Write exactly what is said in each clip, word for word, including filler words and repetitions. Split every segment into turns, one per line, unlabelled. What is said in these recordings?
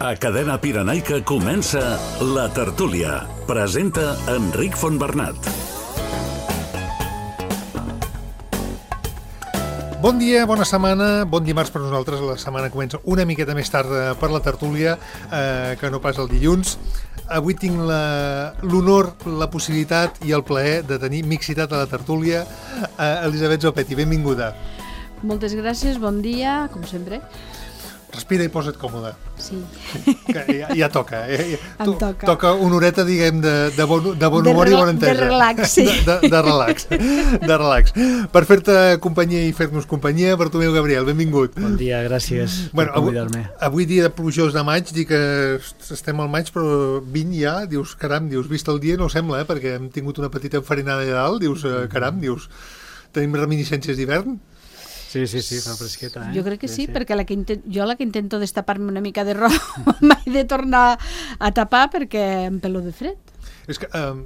A Cadena Pirenaica comença La Tertúlia. Presenta Enric Fontbernat.
Bon dia, bona setmana, bon dimarts per nosaltres. La setmana comença una miqueta més tard per La Tertúlia, eh, que no pas el dilluns. Avui tinc la, l'honor, la possibilitat i el plaer de tenir mixitat a La Tertúlia. Eh, Elisabet Zopetti, benvinguda.
Moltes gràcies, bon dia, com sempre.
Respira i posa't còmode.
Sí.
Que ja, ja toca. Eh?
Em toca.
Toca una horeta, diguem, de, de, bon, de bon
de
humor
rela-
i bona entesa.
de relax, sí.
De, de, de relax. De relax. Per fer-te companyia i fer-nos companyia, Bartomeu Gabriel, benvingut.
Bon dia, gràcies
Bueno,
per
avui,
convidar-me.
avui dia plujós de maig, dic que estem al maig, però vint ja, dius, caram, dius, vist el dia no ho sembla, eh, perquè hem tingut una petita enfarinada allà dalt, dius, eh, caram, dius, tenim reminiscències d'hivern?
Sí, sí, sí, fa fresqueta, eh?
Jo crec que sí, sí, perquè la que intent, jo la que intento destapar-me una mica de roba mai de tornar a tapar perquè em pelo de fred.
És que eh,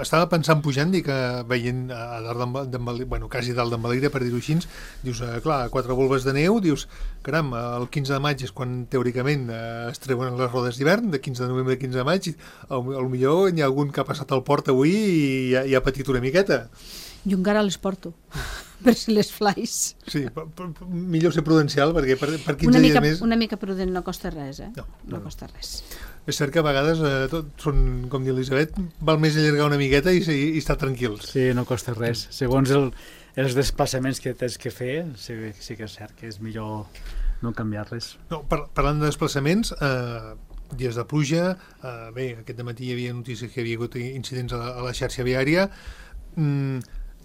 estava pensant pujant, dic, eh, veient a dalt d'en d'en Valira, bueno, quasi dalt d'en Valira, per dir-ho així, dius, eh, clar, quatre volves de neu, dius, caram, el quinze de maig és quan teòricament eh, es treuen les rodes d'hivern, de quinze de novembre a quinze de maig, i potser hi ha algun que ha passat al port avui i ja, ja ha patit una miqueta.
Jo encara les porto, per si les flys.
Sí, però, però, millor ser prudencial, perquè per, per quinze
Una mica,
dies més...
una mica prudent no costa res, eh?
No,
No,
no,
no
no.
costa res.
És cert que a vegades eh, tot són, com diu Elisabet, val més allargar una miqueta i, i, i estar tranquils.
Sí, no costa res. Segons el, els desplaçaments que tens que fer, sí, sí que és cert que és millor no canviar res.
No, par parlant de desplaçaments, eh, dies de pluja, eh, bé, aquest dematí hi havia notícies que hi havia hagut incidents a la, a la xarxa viària. Mm,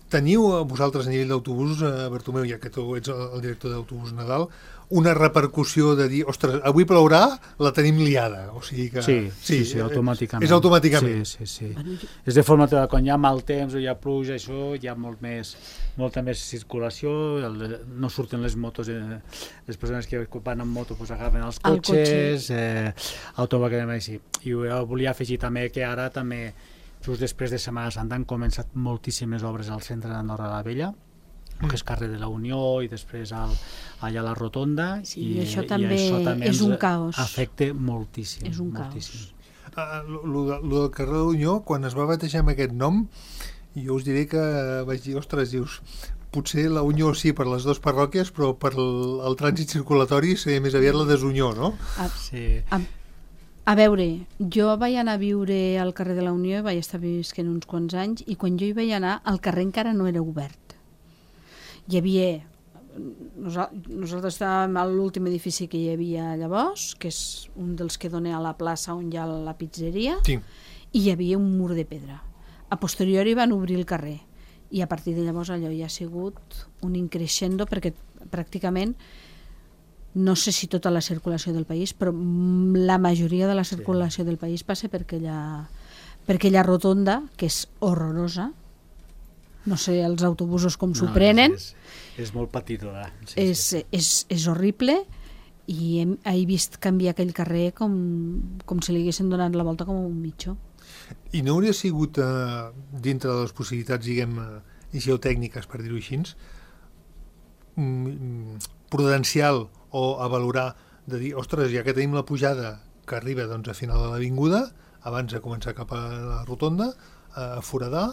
teniu vosaltres a nivell d'autobús, eh, Bartomeu, ja que tu ets el, el director d'autobús Nadal, una repercussió de dir, ostres, avui plourà, la tenim liada. O sigui que...
Sí, sí, sí, automàticament.
És automàticament.
Sí, sí, sí.
Bueno, jo-
És de forma que quan hi ha mal temps o hi ha pluja, això hi ha molt més, molta més circulació, el, no surten les motos, eh, les persones que van amb moto pues, agafen els
El
cotxes, eh, automàticament així. I jo volia afegir també que ara també, just després de Setmana Santa, han començat moltíssimes obres al centre d'Andorra la Vella, que és carrer de la Unió i després al, allà a la Rotonda,
Sí,
i,
i això
i
també
això també
és
ens
un caos.
afecta moltíssim.
És un
moltíssim.
caos.
Uh, lo, lo, de- lo del carrer de l'Unió, quan es va batejar amb aquest nom, jo us diré que vaig dir, ostres, dius, potser la Unió sí per les dues parròquies, però per el, el trànsit circulatori seria més aviat la desunió, no?
A,
Sí.
a, a veure, jo vaig anar a viure al carrer de la Unió, vaig estar visquent uns quants anys, i quan jo hi vaig anar, el carrer encara no era obert. Hi havia... Nosa- Nosaltres estàvem a l'últim edifici que hi havia llavors, que és un dels que dona a la plaça on hi ha la pizzeria,
Sí.
i hi havia un mur de pedra. A posteriori van obrir el carrer, i a partir de llavors allò ja ha sigut un increixendo, perquè pràcticament, no sé si tota la circulació del país, però mm, la majoria de la circulació del país passa per aquella, per aquella rotonda, que és horrorosa. No sé els autobusos com s'ho
No,
prenen,
És, és, és molt petitona. Sí,
és,
sí.
és, és horrible, i hem, he vist canviar aquell carrer com, com si li haguessin donat la volta com un mitjó.
I no hauria sigut, eh, dintre de les possibilitats, diguem, eh, geotècniques, per dir-ho així, mm, prudencial o a valorar de dir, ostres, ja que tenim la pujada que arriba doncs, a final de l'avinguda, abans de començar cap a la rotonda, a foradar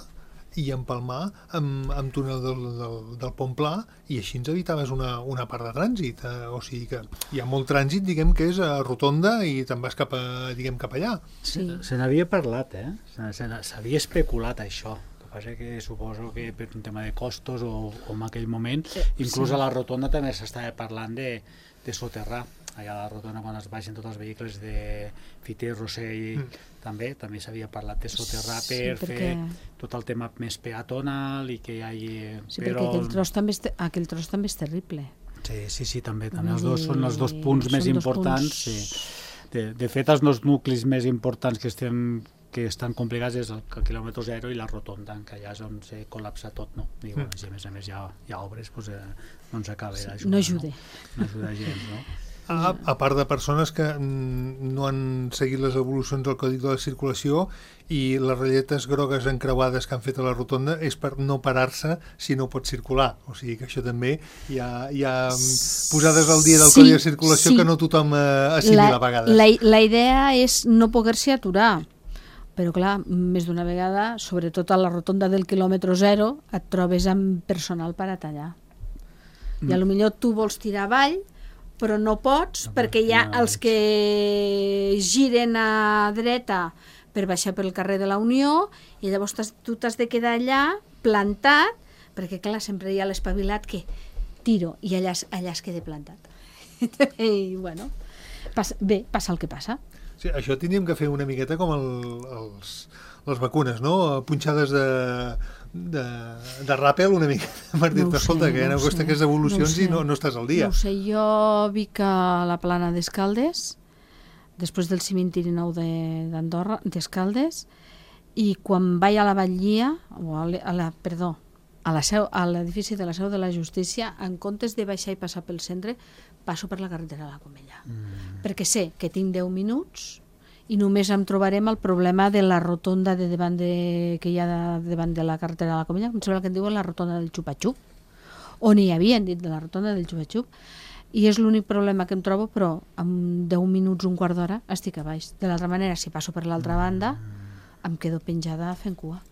i empalmar amb, amb túnel del, del, del Pont Pla, i així ens evitaves una, una part de trànsit. Eh, o sigui que hi ha molt trànsit, diguem, que és a rotonda i te'n vas cap, a, diguem, cap allà.
Sí.
Se n'havia parlat, eh? Se- se n'a- S'havia especulat això. El que passa que suposo que per un tema de costos o, o en aquell moment,
Eh,
inclús
sí.
a la rotonda també s'estava parlant de, de soterrar. Allà a la rotonda, quan es baixen tots els vehicles de Fiter, Rossell,
Mm.
també també s'havia parlat de soterrar
Sí,
per
perquè-
fer tot el tema més peatonal i que hi hagi...
Sí, perquè aquell tros, també és, te- aquell tros també és terrible.
Sí, sí, sí, també. també
Vull
els dos són els dos
dir,
punts més
són dos
importants.
punts-
Sí. De, de fet, els dos nuclis més importants que estem que estan complicats és el, el quilòmetre zero i la rotonda, que allà és on se col·lapsa tot, no? I, bueno, si a més a més hi ha, hi ha obres, doncs, eh, no ens acaba d'ajudar.
no ajuda.
No, no ajuda gens, no?
A, a part de persones que mm, no han seguit les evolucions del Codi de la Circulació i les ratlletes grogues encreuades que han fet a la rotonda és per no parar-se si no pot circular. O sigui que això també hi ha, hi ha posades al dia del
sí,
Codi de Circulació sí. que no tothom eh, assimila a vegades.
La, la idea és no poder-se aturar, però clar, més d'una vegada, sobretot a la rotonda del quilòmetre zero, et trobes amb personal per a tallar. Mm. I a lo millor tu vols tirar avall, però no pots no, perquè hi ha no, els que giren a dreta per baixar pel carrer de la Unió i llavors tu t'has de quedar allà plantat, perquè clar, sempre hi ha l'espavilat que tiro i allà, allà es queda plantat. I bueno, passa, bé, passa el que passa.
Sí, això tindríem que fer una miqueta com el, els, les vacunes, no? Punxades de, de, de ràpel una mica per dir-te, no escolta, que hi ha una qüestió que és evolucions no i no, no estàs al dia.
No ho sé, jo vic a la plana d'Escaldes, després del cimentiri nou d'Andorra, d'Escaldes, i quan vaig a la Batllia, o a la, a la, perdó, a la seu, a l'edifici de la Seu de la Justícia, en comptes de baixar i passar pel centre, passo per la carretera de la Comella. Mm. Perquè sé que tinc deu minuts i només em trobarem el problema de la rotonda de davant de, que hi ha de, davant de la carretera de la Comella, em sembla que en diuen la rotonda del Xupa-Xup, on hi havien dit de la rotonda del Xupa-Xup, i és l'únic problema que em trobo, però en deu minuts, un quart d'hora, estic a baix. De l'altra manera, si passo per l'altra banda, em quedo penjada fent cua.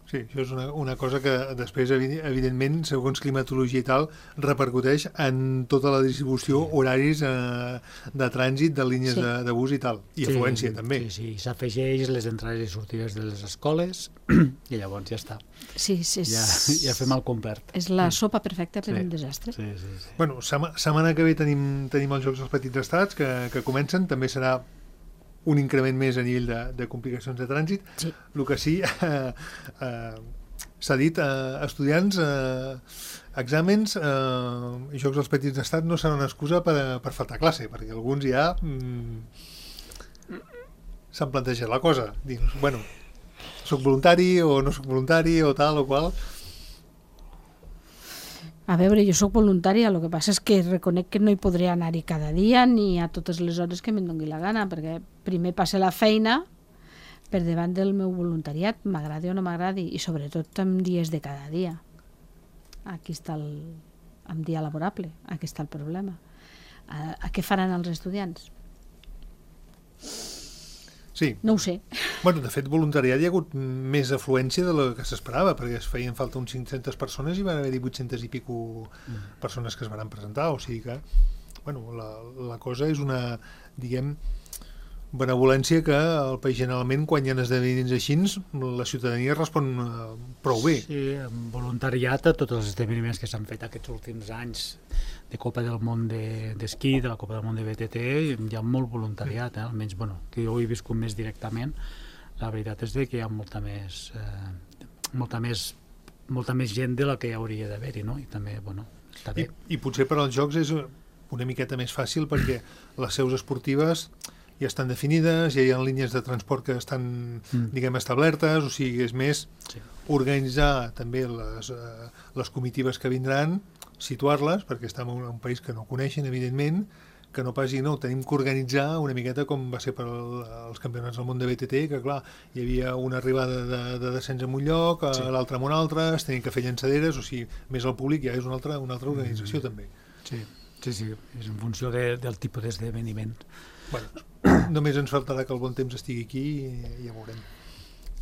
Sí, això és una, una cosa que després, evidentment, segons climatologia i tal, repercuteix en tota la distribució, horaris eh, de trànsit, de línies sí. de, de bus i tal, i sí, afluència també.
Sí, sí, s'afegeix les entrades i sortides de les escoles i llavors ja està.
Sí, sí,
ja, ja fem el complet.
És la sopa perfecta per
sí.
un desastre.
Sí, sí, sí.
Bueno, sema, setmana que ve tenim, tenim els Jocs dels Petits Estats que, que comencen, també serà un increment més a nivell de, de complicacions de trànsit.
Sí.
El que sí, eh, eh, s'ha dit, eh, estudiants, eh, exàmens, eh, i Jocs dels Petits d'Estat no seran una excusa per, per faltar classe, perquè alguns ja mm, s'han plantejat la cosa. Dius, bueno, soc voluntari o no soc voluntari o tal o qual.
A veure, jo sóc voluntària, el que passa és que reconec que no hi podré anar-hi cada dia ni a totes les hores que me'n doni la gana, perquè primer passa la feina per davant del meu voluntariat, m'agradi o no m'agradi, i sobretot en dies de cada dia. Aquí està el... en dia laborable, aquí està el problema. A, a què faran els estudiants?
Sí.
No ho sé.
Bueno, de fet, voluntariat hi ha hagut més afluència de la que s'esperava, perquè es feien falta uns cinc-centes persones i van haver-hi vuit-centes i pico mm. persones que es van presentar, o sigui que bueno, la, la cosa és una, diguem, benevolència que el país generalment, quan hi ha esdeveniments així, la ciutadania respon uh, prou bé.
Sí, amb voluntariat a tots els esdeveniments que s'han fet aquests últims anys de Copa del Món d'Esquí, de, de la Copa del Món de B T T, hi ha molt voluntariat, eh? Almenys, bueno, que jo ho he viscut més directament, la veritat és que hi ha molta més, eh, molta més, molta més gent de la que hi hauria d'haver-hi, no? I també, bueno, està bé.
I, I potser per als Jocs és una miqueta més fàcil perquè les seus esportives ja estan definides, ja hi ha línies de transport que estan, mm. diguem, establertes, o sigui, és més sí. organitzar també les, uh, les comitives que vindran, situar-les, perquè estem en un país que no coneixen, evidentment, que no passi, no, tenim que organitzar una miqueta com va ser per el, els campionats del món de B T T, que clar, hi havia una arribada de, de descens en un lloc, sí. l'altre en un altre, es tenien que fer llançaderes, o sigui, més el públic ja és una altra, una altra organització mm. també.
Sí, sí, sí, és en funció de, del tipus d'esdeveniment.
Bueno, només ens faltarà que el bon temps estigui aquí i ja veurem.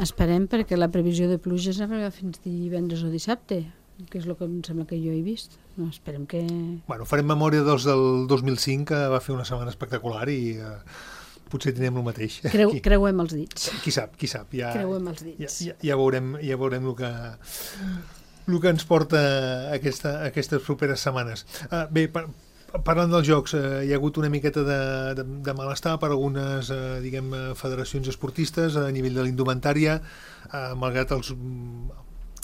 Esperem, perquè la previsió de pluges arriba fins divendres o dissabte, que és el que em sembla que jo he vist. No, esperem que...
Bueno, farem memòria dels del dos mil cinc, que va fer una setmana espectacular i eh, potser tindrem el mateix.
Creu, creuem els dits.
Qui sap, qui sap. Ja,
creuem els dits.
Ja, ja, ja veurem, ja veurem el que, el que ens porta aquesta, aquestes properes setmanes. Uh, bé, per, parlant dels jocs, eh, hi ha hagut una miqueta de, de, de malestar per algunes eh, diguem, federacions esportistes a nivell de l'indumentària, eh, malgrat els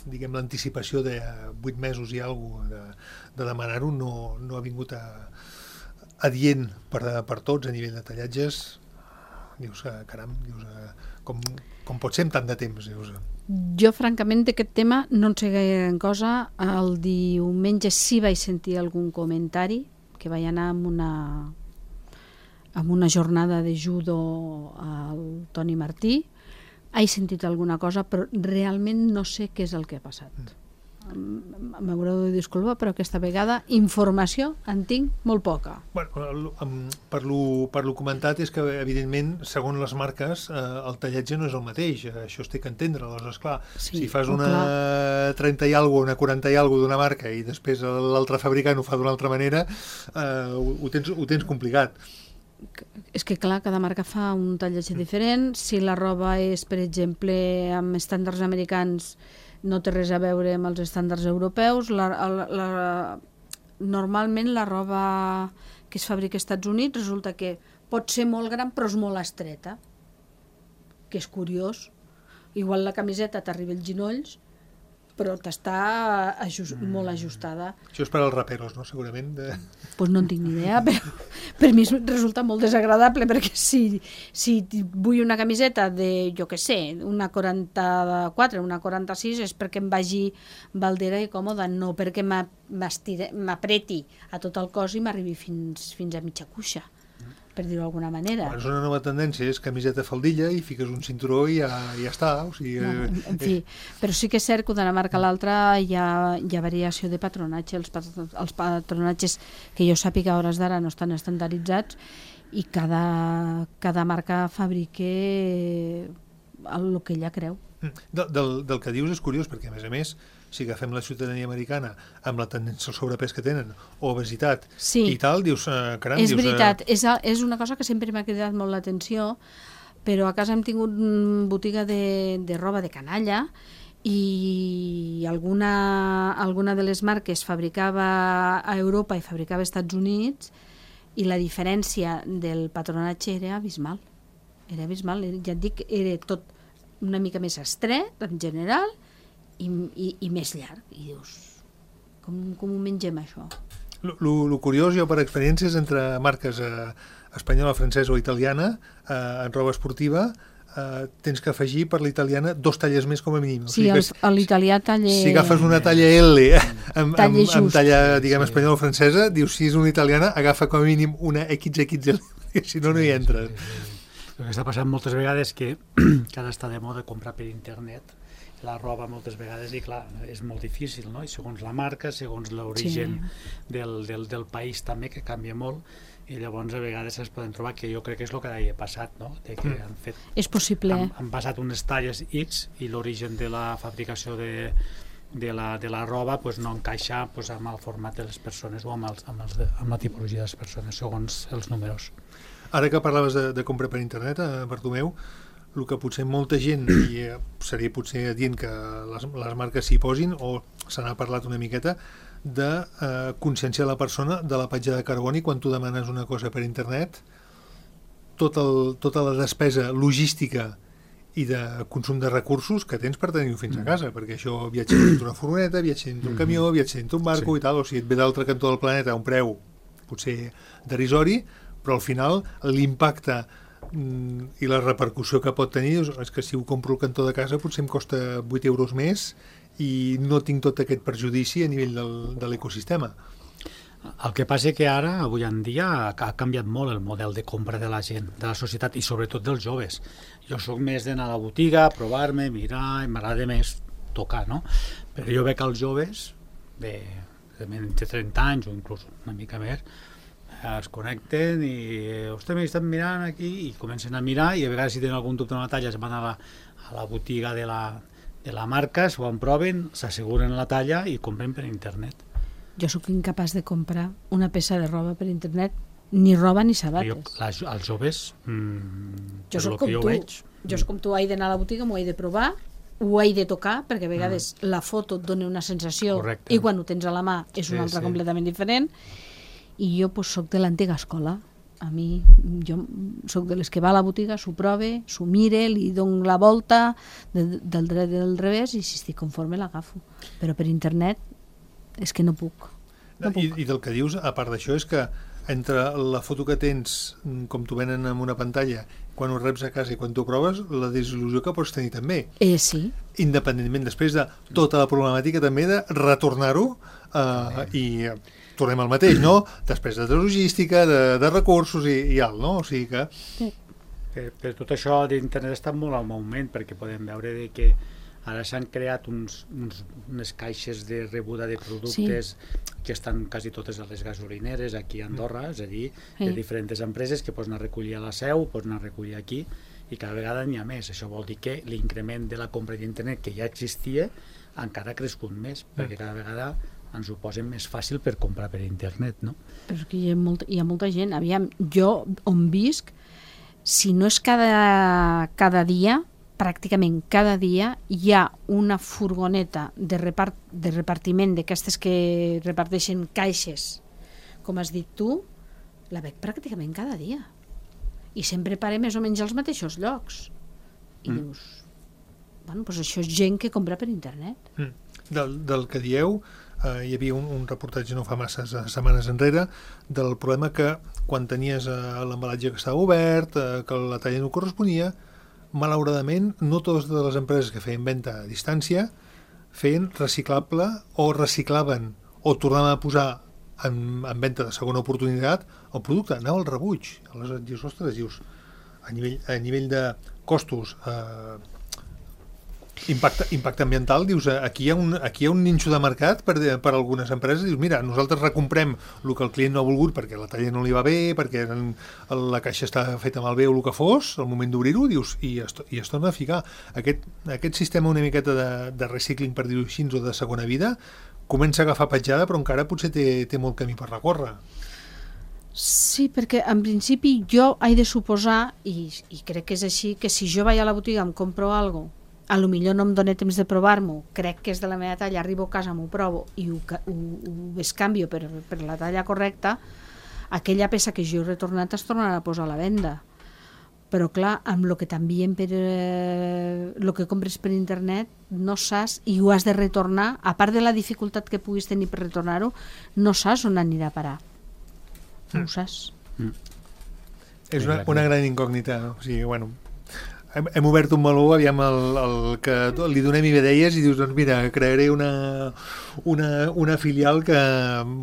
diguem l'anticipació de vuit mesos i alguna cosa de, de demanar-ho, no, no ha vingut a, adient per, per tots a nivell de tallatges. Dius, caram, dius, com, com pot ser amb tant de temps? Dius.
Jo, francament, d'aquest tema no en sé gaire cosa. El diumenge sí vaig sentir algun comentari que vaig anar amb una, amb una jornada de judo al Toni Martí. He sentit alguna cosa, però realment no sé què és el que ha passat. M'haureu de disculpar, però aquesta vegada informació en tinc molt poca.
Bueno, per lo, per lo comentat és que, evidentment, segons les marques, eh, el tallatge no és el mateix. Això es té que entendre. Aleshores, clar, sí, si fas una clar. trenta i alguna, una quaranta i alguna d'una marca i després l'altre fabricant ho fa d'una altra manera, eh, ho, ho, tens, ho tens complicat.
És que, clar, cada marca fa un tallatge diferent. Si la roba és, per exemple, amb estàndards americans, no té res a veure amb els estàndards europeus. La, la, la, normalment la roba que es fabrica als Estats Units resulta que pot ser molt gran però és molt estreta, que és curiós. Igual la camiseta t'arriba als ginolls però t'està ajust, mm. molt ajustada.
Això és per als raperos, no? Segurament. De...
Pues no en tinc ni idea, però per mi resulta molt desagradable, perquè si, si vull una camiseta de, jo què sé, una quaranta-quatre, una quaranta-sis, és perquè em vagi baldera i còmoda, no perquè m'apreti a tot el cos i m'arribi fins, fins a mitja cuixa, per dir-ho d'alguna manera.
Bueno, és una nova tendència, és camiseta faldilla i fiques un cinturó i ja, ja està. O sigui,
no, en, en fi, però sí que és cert que d'una marca a l'altra hi ha, hi ha variació de patronatge. Els, els patronatges que jo sàpiga a hores d'ara no estan estandarditzats i cada, cada marca fabrica el que ella creu.
Del, del, del que dius és curiós, perquè a més a més, si agafem la ciutadania americana amb la tendència al sobrepès que tenen, o obesitat
sí.
i tal, dius, eh, caram...
És
dius,
veritat,
eh...
és, és una cosa que sempre m'ha cridat molt l'atenció, però a casa hem tingut botiga de, de roba de canalla i alguna, alguna de les marques fabricava a Europa i fabricava als Estats Units i la diferència del patronatge era abismal. Era abismal, ja et dic, era tot una mica més estret, en general, i, i, i més llarg. I dius, com, com ho mengem, això?
El curiós, jo per experiències entre marques eh, espanyola, francesa o italiana, eh, en roba esportiva, eh, tens que afegir per l'italiana dos talles més com a mínim.
Sí, o sigui, l'italià talla...
Si agafes una talla L amb, amb, amb talla, diguem, espanyola o francesa, dius, si és una italiana, agafa com a mínim una equis equis ele, si no, no hi entres.
El que està passant moltes vegades que, que ara està de moda comprar per internet la roba moltes vegades i clar, és molt difícil, no? I segons la marca, segons l'origen sí. del, del, del país també, que canvia molt, i llavors a vegades es poden trobar, que jo crec que és el que ha passat, no? De que han fet,
és possible.
Han, han passat unes talles X i l'origen de la fabricació de, de, la, de la roba pues, no encaixa pues, amb el format de les persones o amb, els, amb, els, amb la tipologia de les persones, segons els números.
Ara que parlaves de, de compra per internet, eh, Bartomeu, el que potser molta gent, i eh, seria potser dient que les, les marques s'hi posin, o se n'ha parlat una miqueta, de eh, conscienciar la persona de la petjada de carboni quan tu demanes una cosa per internet, tot el, tota la despesa logística i de consum de recursos que tens per tenir-ho fins a casa, perquè això viatja dintre una furgoneta, viatja dintre un camió, viatja dintre un barco sí. i tal, o sigui, et ve d'altre cantó del planeta a un preu potser derisori, però al final l'impacte mm, i la repercussió que pot tenir és que si ho compro al cantó de casa potser em costa vuit euros més i no tinc tot aquest perjudici a nivell del, de l'ecosistema.
El que passa que ara, avui en dia, ha canviat molt el model de compra de la gent, de la societat i sobretot dels joves. Jo sóc més d'anar a la botiga, provar-me, mirar, i m'agrada més tocar, no? Però jo veig els joves de, de menys de trenta anys o inclús una mica més, es connecten i ostres, m'estan mirant aquí i comencen a mirar i a vegades si tenen algun dubte en la talla es van a la, a la botiga de la, de la marca, s'ho emproven, s'asseguren la talla i compren per internet.
Jo sóc incapaç de comprar una peça de roba per internet, ni roba ni sabates.
Jo, la, els joves, mmm,
jo soc com
jo
tu,
veig,
jo soc com tu, he d'anar a la botiga, m'ho he de provar, ho he de tocar, perquè a vegades mm. la foto et dona una sensació Correcte. I quan ho tens a la mà és una sí, altra sí. completament diferent. I jo pues, soc de l'antiga escola. A mi, jo soc de les que va a la botiga, s'ho prove, s'ho mire, li dono la volta de, del dret i del revés i si estic conforme l'agafo. Però per internet és que no puc. No puc.
I, I del que dius, a part d'això, és que entre la foto que tens, com t'ho venen en una pantalla, quan ho reps a casa i quan t'ho proves, la desil·lusió que pots tenir també.
Eh, sí.
Independentment després de tota la problemàtica també de retornar-ho eh, i tornem al mateix, no? Despesa de logística, de, de recursos i, i alt, no? O sigui que...
Sí.
Per, per tot això d'internet està molt al moment, perquè podem veure de que ara s'han creat uns, uns, unes caixes de rebuda de productes sí. que estan quasi totes a les gasolineres aquí a Andorra, és a dir, sí. de diferents empreses que pots anar a recollir a la seu, pots anar a recollir aquí, i cada vegada n'hi ha més. Això vol dir que l'increment de la compra d'internet que ja existia encara ha crescut més, perquè cada vegada ens ho posen més fàcil per comprar per internet, no?
Però que hi ha molta, hi ha molta gent. Aviam, jo on visc, si no és cada, cada dia, pràcticament cada dia hi ha una furgoneta de, repart, de repartiment d'aquestes que reparteixen caixes, com has dit tu, la veig pràcticament cada dia. I sempre pare més o menys als mateixos llocs. I mm. dius, bueno, doncs això és gent que compra per internet.
Mm. Del, del que dieu, eh, hi havia un, un reportatge no fa masses setmanes enrere del problema que quan tenies eh, l'embalatge que estava obert, eh, que la talla no corresponia, malauradament no totes les empreses que feien venda a distància feien reciclable o reciclaven o tornaven a posar en, en venda de segona oportunitat el producte, anava al rebuig. Aleshores dius, ostres, dius, a nivell, a nivell de costos, eh, impacte, impacte ambiental, dius, aquí hi ha un, aquí hi ha un ninxo de mercat per, per algunes empreses, dius, mira, nosaltres recomprem el que el client no ha volgut perquè la talla no li va bé, perquè en, la caixa està feta malbé o el que fos, al moment d'obrir-ho, dius, i es, i es torna a ficar. Aquest, aquest sistema una miqueta de, de recicling, per dir-ho així, o de segona vida, comença a agafar petjada, però encara potser té, té molt camí per recórrer.
Sí, perquè en principi jo he de suposar, i, i crec que és així, que si jo vaig a la botiga em compro alguna cosa, a lo millor no em dóna temps de provar-m'ho, crec que és de la meva talla, arribo a casa, m'ho provo i ho, ho, ho bescanvio per, per la talla correcta, aquella peça que jo he retornat es tornarà a posar a la venda. Però clar, amb el que t'envien per eh, el que compres per internet no saps, i ho has de retornar, a part de la dificultat que puguis tenir per retornar-ho, no saps on anirà a parar. No ho saps.
Mm.
És una, una gran incògnita, no? O sigui, bueno, hem, hem obert un meló, aviam el, el que li donem idees i dius, doncs mira, crearé una, una, una filial que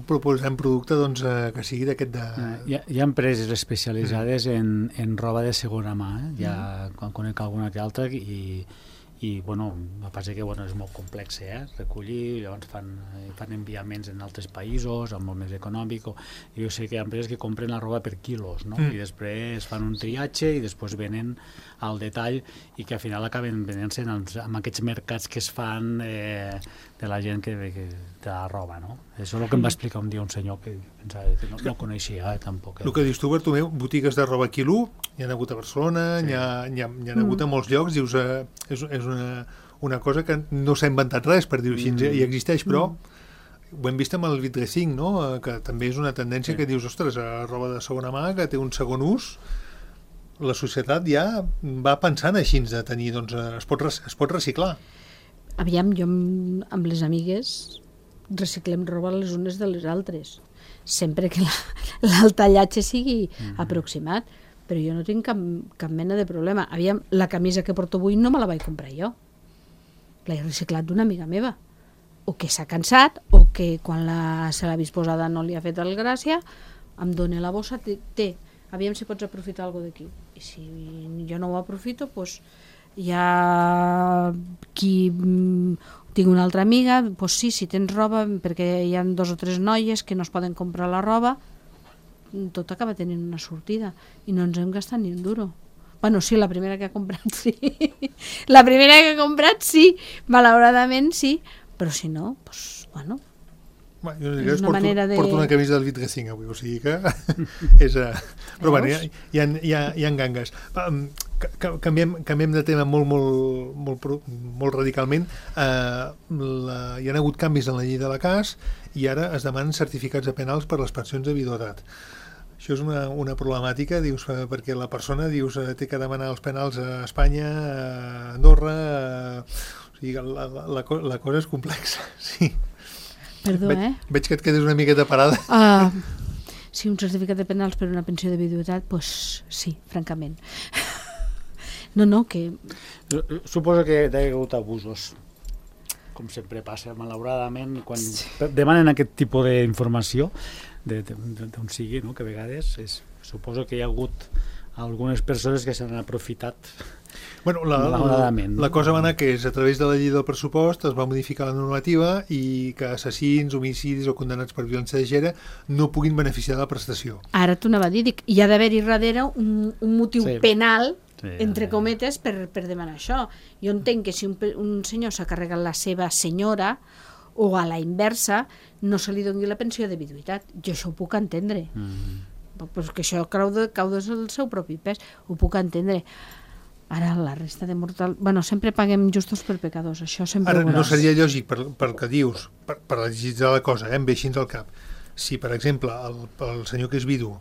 proposem producte doncs, que sigui d'aquest de...
Hi ha, hi ha empreses especialitzades mm. en, en roba de segona mà, eh? Ja mm. quan conec alguna que altra i, i bueno, a part que bueno, és molt complex, eh? Recollir, llavors fan, fan enviaments en altres països, amb molt més econòmic, o, jo sé que hi ha empreses que compren la roba per quilos, no? Mm. I després fan un triatge i després venen al detall i que al final acaben venent-se amb aquests mercats que es fan eh, de la gent que, que de la roba, no? Això és el que em va explicar un dia un senyor que pensava que no, no coneixia eh, tampoc. Eh.
El que dius tu, Bartomeu, botigues de roba quilo, hi ha hagut a Barcelona, sí. hi, ha, hi, ha, hi ha hagut a molts llocs, dius, eh, és, és una, una cosa que no s'ha inventat res, per dir-ho així, mm. i existeix, però mm. ho hem vist amb el vitracing, no? Que també és una tendència sí. que dius, ostres, a roba de segona mà, que té un segon ús, la societat ja va pensant així de tenir, doncs es pot, es pot reciclar.
Aviam, jo amb, amb les amigues reciclem roba les unes de les altres, sempre que la, el tallatge sigui mm-hmm. aproximat, però jo no tinc cap, cap mena de problema. Aviam, la camisa que porto avui no me la vaig comprar jo, l'he reciclat d'una amiga meva, o que s'ha cansat, o que quan la, se l'ha vist posada no li ha fet el gràcia, em dona la bossa, té, té aviam si pots aprofitar alguna d'aquí. I si jo no ho aprofito, doncs hi ha qui... Tinc una altra amiga, doncs sí, si tens roba, perquè hi ha dos o tres noies que no es poden comprar la roba, tot acaba tenint una sortida i no ens hem gastat ni un duro. Bueno, sí, la primera que ha comprat sí. La primera que ha comprat sí, malauradament sí, però si no, doncs, bueno...
Bueno, jo és una porto, manera de... porto una camisa del vitracing avui, o sigui que és... Uh... Però bueno, hi ha, hi ha, hi ha, hi ha gangues. Canviem, canviem de tema molt, molt, molt, molt radicalment. Uh, la, hi ha hagut canvis en la llei de la C A S i ara es demanen certificats de penals per les pensions de viduïtat. Això és una, una problemàtica, dius, perquè la persona dius, té que demanar els penals a Espanya, a Andorra... Uh, o sigui, la, la, la, la cosa és complexa, sí.
Perdó,
veig,
eh?
Veig que et quedes una miqueta parada.
Uh, sí, un certificat de penals per una pensió de viduïtat, doncs pues, sí, francament. No, no, que...
Suposo que hi ha hagut abusos. com sempre passa, malauradament, quan sí. demanen aquest tipus d'informació, d'on sigui, no? Que a vegades és, suposo que hi ha hagut algunes persones que s'han aprofitat.
Bueno, la, la, la cosa va anar que és a través de la llei del pressupost es va modificar la normativa i que assassins, homicidis o condemnats per violència de gènere no puguin beneficiar de la prestació.
Ara t'ho anava a dir, dic, hi ha d'haver-hi darrere un, un motiu sí. penal, sí, entre cometes, per, per demanar això. Jo entenc que si un, un senyor s'ha carregat la seva senyora o a la inversa, no se li doni la pensió de viduïtat. Jo això ho puc entendre. Mm. Pues que això cau, de, cau del seu propi pes, ho puc entendre. Ara la resta de mortal... Bueno, sempre paguem justos per pecadors, això sempre
Ara,
ho veuràs.
No seria lògic, per, per que dius, per, per legislar la cosa, eh, em ve així al cap. Si, per exemple, el, el senyor que és vidu,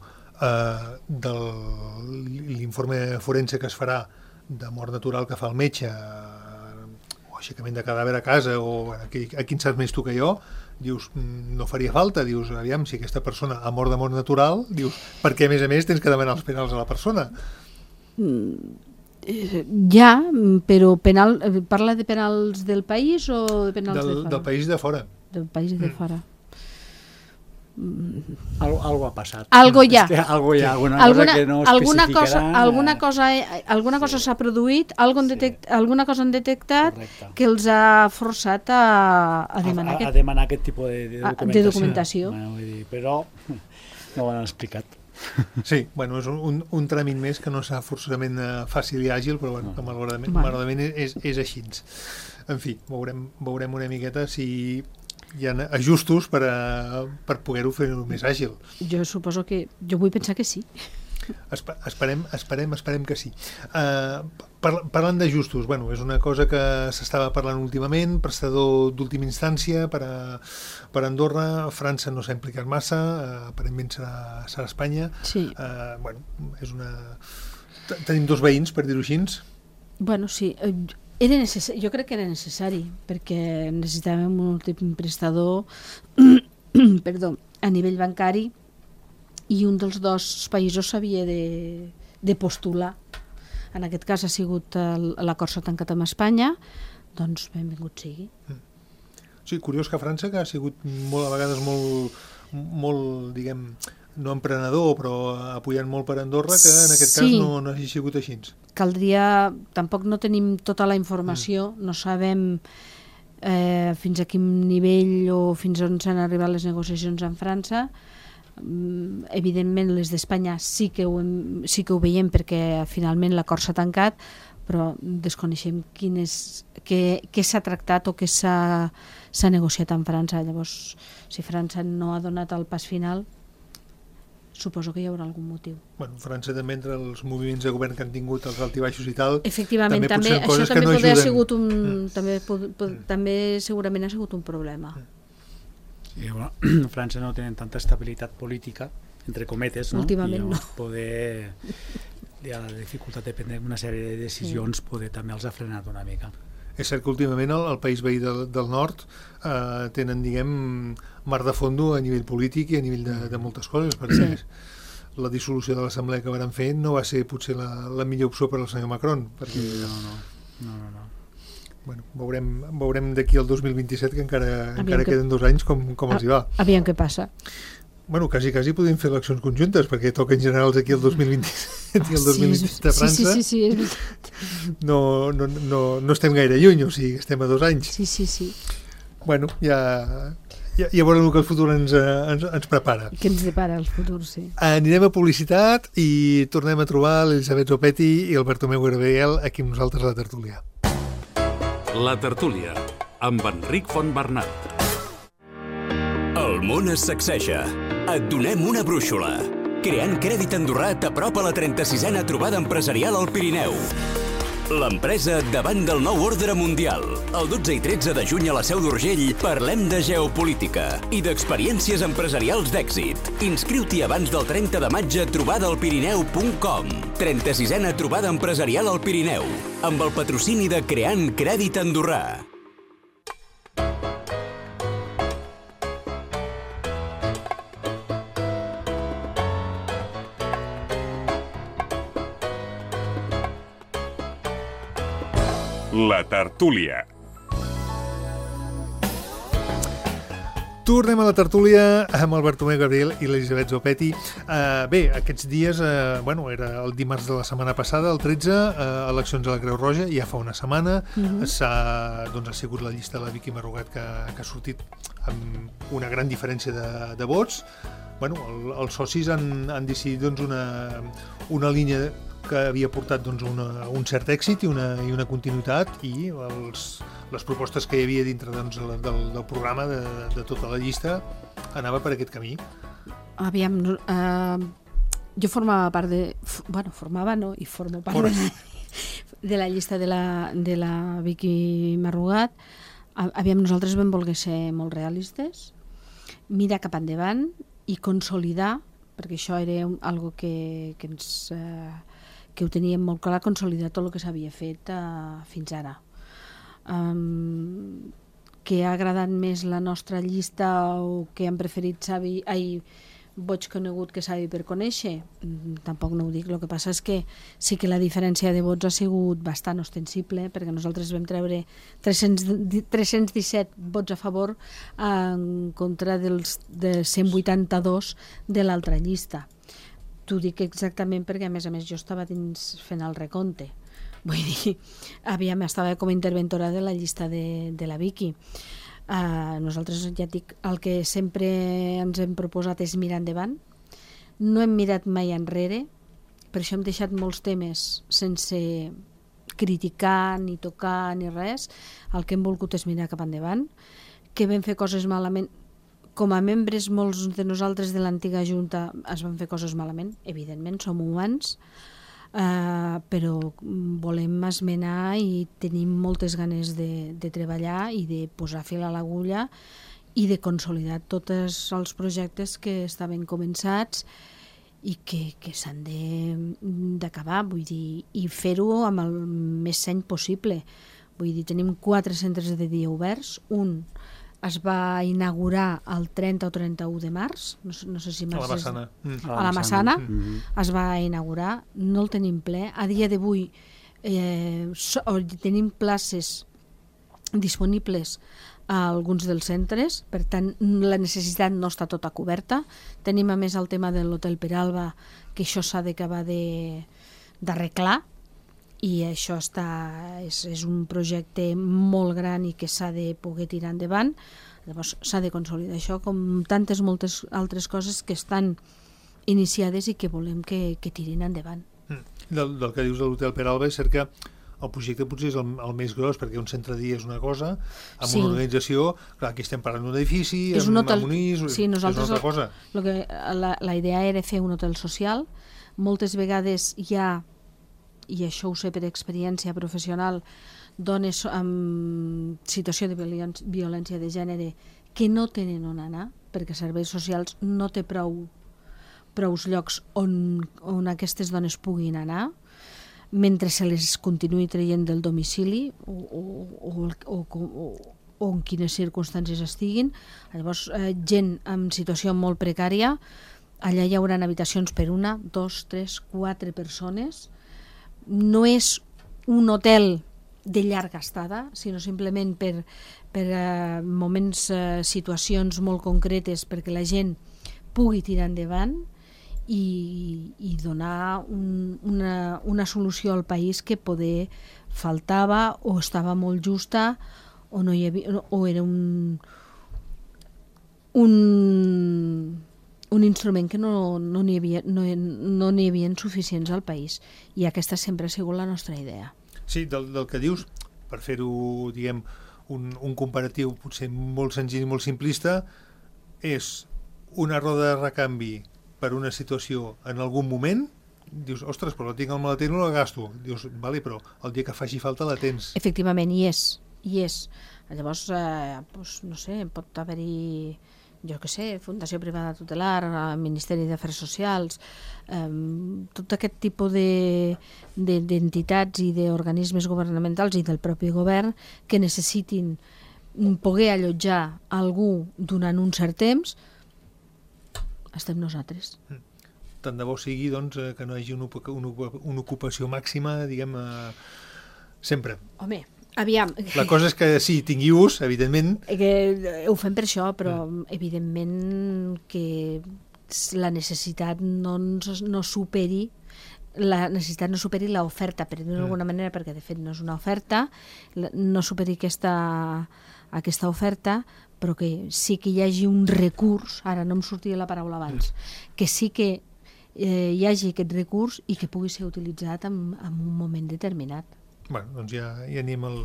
eh, de l'informe forense que es farà de mort natural que fa el metge, eh, o aixecament de cadàver a casa, o aquí, aquí en saps més tu que jo, dius, no faria falta, dius, aviam, si aquesta persona ha mort de mort natural, dius, perquè a més a més tens que demanar els penals a la persona.
Mm. Ja, però penal, parla de penals del país o de penals
del,
de fora?
Del país de fora.
Del país de
mm.
fora.
Mm. Algo, algo ha passat.
Algo hi ha.
Es que algo hi ha, alguna,
alguna
cosa que no
alguna cosa,
especificaran.
alguna cosa, alguna cosa s'ha sí. produït, algun detect, sí. alguna cosa han detectat Correcte. Que els ha forçat a, a demanar,
a, a,
aquest,
a demanar aquest tipus de, de documentació.
De documentació.
Bueno, vull dir, però no ho han explicat.
Sí, bueno, és un, un tràmit més que no serà forçosament fàcil i àgil, però bueno, no. malauradament,
bueno.
malauradament és, és així. En fi, veurem, veurem una miqueta si hi ha ajustos per, a, per poder-ho fer més àgil.
Jo suposo que... Jo vull pensar que sí.
Espe esperem, esperem, esperem que sí. Uh, par parlant d'ajustos, bueno, és una cosa que s'estava parlant últimament, prestador d'última instància per a, per a Andorra, França no s'ha implicat massa, uh, aparentment serà, serà Espanya.
Sí.
Uh, bueno, és una... Tenim dos veïns, per dir-ho així.
Bueno, sí, era necessari, jo crec que era necessari, perquè necessitàvem un últim prestador perdó, a nivell bancari, i un dels dos països s'havia de, de postular. En aquest cas ha sigut l'acord s'ha tancat amb Espanya, doncs benvingut sigui.
Sí, curiós que França, que ha sigut molt, a vegades molt, molt, diguem, no emprenedor, però apoyant molt per Andorra, que en aquest sí. cas no, no hagi sigut així.
Caldria, tampoc no tenim tota la informació, mm. no sabem eh, fins a quin nivell o fins on s'han arribat les negociacions amb França. Evidentment les d'Espanya sí que ho hem, sí que ho veiem perquè finalment l'acord s'ha tancat, però desconeixem quin és, què, què s'ha tractat o què s'ha negociat amb França. Llavors, si França no ha donat el pas final, suposo que hi haurà algun motiu.
Bueno, França també, entre els moviments de govern que han tingut, els altibaixos i tal,
efectivament, també, també això també no podria ha sigut un, mm. també, pod, pod, mm. també segurament ha sigut un problema.
Mm.
Sí, bueno, França no tenen tanta estabilitat política, entre cometes, no?
Últimament
I
no.
Poder, hi ha la dificultat de prendre una sèrie de decisions, sí. poder també els ha frenat una mica.
És cert que últimament el, el país veí del, del nord eh, tenen, diguem, mar de fondo a nivell polític i a nivell de, de moltes coses, perquè sí. la dissolució de l'assemblea que van fer no va ser potser la, la millor opció per al senyor Macron. Perquè...
No, no, no, no, no.
Bueno, veurem, veurem d'aquí al dos mil vint-i-set, que encara, encara que... queden dos anys, com, com els hi va.
Aviam què passa.
Bueno, quasi, quasi podem fer eleccions conjuntes, perquè toquen generals aquí el dos mil vint-i-set i el dos mil vint-i-set a França.
Sí, sí, sí, sí, és...
no, no, no, no estem gaire lluny, o sigui, estem a dos anys.
Sí, sí, sí.
Bueno, ja, ja, ja veurem el que el futur ens, ens, ens prepara.
Què ens depara el futur, sí.
Anirem a publicitat i tornem a trobar l'Elisabet Zopetti i el Bartomeu Gabriel aquí amb nosaltres a la tertúlia.
La tertúlia, amb Enric Fontbernat.
El món es sacseja. Et donem una brúixola. Creant Crèdit Andorrà t'apropa la trenta-sisena trobada empresarial al Pirineu. L'empresa davant del nou ordre mundial. El dotze i tretze de juny a la Seu d'Urgell parlem de geopolítica i d'experiències empresarials d'èxit. Inscriu-t'hi abans del trenta de maig a trobada al pirineu punt com. trenta-sisena trobada empresarial al Pirineu, amb el patrocini de Creant Crèdit Andorrà.
La tertúlia.
Tornem a la tertúlia amb el Bartomeu Gabriel i l'Elisabet Zopetti. Uh, bé, aquests dies, uh, bueno, era el dimarts de la setmana passada, el tretze, uh, eleccions a la Creu Roja, ja fa una setmana. Mm-hmm. S'ha, doncs, ha sigut la llista de la Vicky Marrugat que, que ha sortit amb una gran diferència de, de vots. Bueno, el, els socis han, han decidit doncs, una, una línia que havia portat doncs, una, un cert èxit i una, i una continuïtat, i els, les propostes que hi havia dintre doncs, del, del programa de, de tota la llista anava per aquest camí.
Aviam, uh, jo formava part de... Bueno, formava no, i formo part For... de, de la llista de la, de la Vicky Marrugat. Aviam, nosaltres vam voler ser molt realistes, mirar cap endavant i consolidar, perquè això era un, algo que, que ens... Uh, que ho teníem molt clar, consolidar tot el que s'havia fet uh, fins ara. Um, que ha agradat més la nostra llista o que han preferit savi, ai, boig conegut que savi per conèixer? Mm, tampoc no ho dic. El que passa és que sí que la diferència de vots ha sigut bastant ostensible, perquè nosaltres vam treure tres-cents disset vots a favor en contra dels de cent vuitanta-dos de l'altra llista. T'ho dic exactament perquè, a més a més, jo estava dins fent el recompte. Vull dir, aviam, estava com a interventora de la llista de, de la Vicky. Uh, nosaltres, ja et dic, el que sempre ens hem proposat és mirar endavant. No hem mirat mai enrere, per això hem deixat molts temes sense criticar, ni tocar, ni res. El que hem volgut és mirar cap endavant. Que vam fer coses malament... Com a membres, molts de nosaltres de l'antiga Junta es van fer coses malament, evidentment, som humans, eh, però volem esmenar i tenim moltes ganes de, de treballar i de posar fil a l'agulla i de consolidar tots els projectes que estaven començats i que, que s'han d'acabar, vull dir, i fer-ho amb el més seny possible. Vull dir, tenim quatre centres de dia oberts, un es va inaugurar el trenta o trenta-u de març, no, no sé si...
A la Massana.
Mm. A la Massana mm. es va inaugurar, no el tenim ple. A dia d'avui eh, so, tenim places disponibles a alguns dels centres, per tant la necessitat no està tota coberta. Tenim a més el tema de l'Hotel Peralba, que això s'ha d'acabar d'arreglar, i això està, és, és un projecte molt gran i que s'ha de poder tirar endavant. Llavors s'ha de consolidar això, com tantes moltes altres coses que estan iniciades i que volem que, que tirin endavant.
Mm. Del, del que dius de l'Hotel Peralba, és cert que el projecte potser és el, el més gros, perquè un centre de dia és una cosa, amb sí. una organització, clar, aquí estem parlant d'un edifici,
és
amb,
un hotel,
amb un is,
sí,
és una altra
el,
cosa.
Lo que, la, la idea era fer un hotel social. Moltes vegades hi ha, i això ho sé per experiència professional, dones en situació de violència de gènere que no tenen on anar, perquè serveis socials no té prou, prous llocs on, on aquestes dones puguin anar, mentre se les continuï traient del domicili o, o, o, o, o, o en quines circumstàncies estiguin. Llavors, eh, gent en situació molt precària, allà hi haurà habitacions per una, dos, tres, quatre persones. No és un hotel de llarga estada, sinó simplement per, per uh, moments, uh, situacions molt concretes perquè la gent pugui tirar endavant i, i donar un, una, una solució al país que poder faltava o estava molt justa o, no hi havia, o era un, un, un instrument que no n'hi no havia, no, no n'hi havia suficients al país, i aquesta sempre ha sigut la nostra idea.
Sí, del, del que dius, per fer-ho, diguem, un, un comparatiu potser molt senzill i molt simplista, és una roda de recanvi per una situació en algun moment, dius, ostres, però la tinc al maleter i no la gasto. Dius, vale, però el dia que faci falta la tens.
Efectivament, hi és, hi és. Llavors, eh, doncs, no sé, pot haver-hi, jo què sé, Fundació Privada Tutelar, Ministeri d'Afers Socials, eh, tot aquest tipus de, de, d'entitats i d'organismes governamentals i del propi govern que necessitin poder allotjar algú durant un cert temps, estem nosaltres.
Tant de bo sigui, doncs, que no hi hagi una, una, una ocupació màxima, diguem, eh, sempre.
Home, Aviam.
La cosa és que sí, tingui ús, evidentment.
Que ho fem per això, però evidentment que la necessitat no, no superi la necessitat no superi l'oferta, per dir-ho d'alguna manera, perquè de fet no és una oferta, no superi aquesta, aquesta oferta, però que sí que hi hagi un recurs, ara no em sortia la paraula abans, que sí que eh, hi hagi aquest recurs i que pugui ser utilitzat en, en un moment determinat.
Bueno, doncs ja, ja anem, el,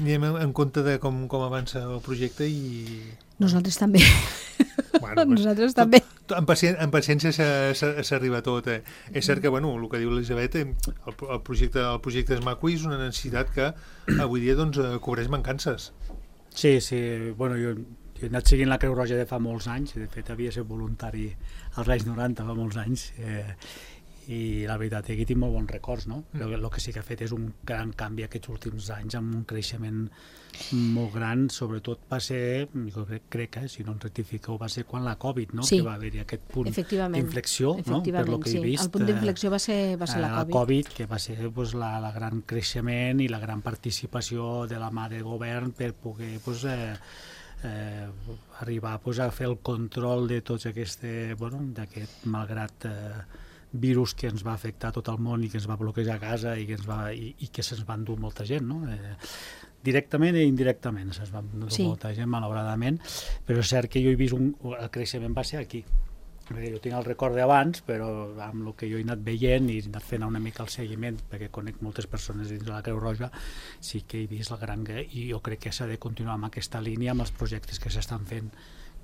anem en compte de com, com avança el projecte i...
Nosaltres també.
Bueno,
Nosaltres tot, també.
En, pacient, en paciència s'arriba a tot. Eh? És cert que, bueno, el que diu l'Elisabet, el, el, projecte, el projecte és maco i és una necessitat que avui dia doncs, cobreix mancances.
Sí, sí. Bueno, jo, jo he anat seguint la Creu Roja de fa molts anys, de fet havia estat voluntari als anys noranta, fa molts anys, eh, i la veritat, aquí tinc molt bons records, no? Mm. El, el que sí que ha fet és un gran canvi aquests últims anys, amb un creixement molt gran, sobretot va ser, jo crec, crec eh, si no em rectifiqueu, va ser quan la Covid, no?
Sí.
Que va haver-hi aquest punt d'inflexió, no? Per lo que
sí.
he vist.
El punt d'inflexió va ser, va ser la Covid.
La Covid, que va ser pues, la, la gran creixement i la gran participació de la mà de govern per poder pues, eh, eh, arribar pues, a fer el control de tots aquest, bueno, d'aquest malgrat eh, virus que ens va afectar tot el món i que ens va bloquejar a casa i que, ens va, i, i que se'ns va endur molta gent, no? Eh, directament i indirectament se'ns va endur sí. molta gent, malauradament, però és cert que jo he vist un, el creixement va ser aquí. Perquè jo tinc el record d'abans, però amb el que jo he anat veient i he anat fent una mica el seguiment, perquè conec moltes persones dins de la Creu Roja, sí que he vist la gran... I jo crec que s'ha de continuar amb aquesta línia, amb els projectes que s'estan fent,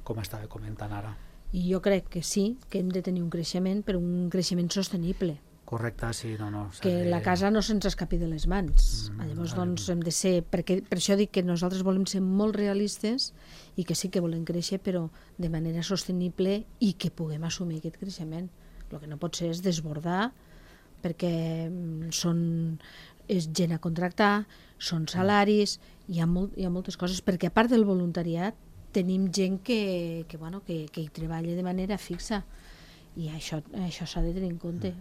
com estava comentant ara.
I jo crec que sí, que hem de tenir un creixement, però un creixement sostenible.
Correcte, sí, no, no.
Que
de...
la casa no se'ns escapi de les mans. Mm, Llavors, doncs, hem de ser... Perquè, per això dic que nosaltres volem ser molt realistes i que sí que volem créixer, però de manera sostenible i que puguem assumir aquest creixement. El que no pot ser és desbordar, perquè són, és gent a contractar, són salaris, hi ha, molt, hi ha moltes coses, perquè a part del voluntariat tenim gent que, que, bueno, que, que hi treballa de manera fixa i això, això s'ha de tenir en compte.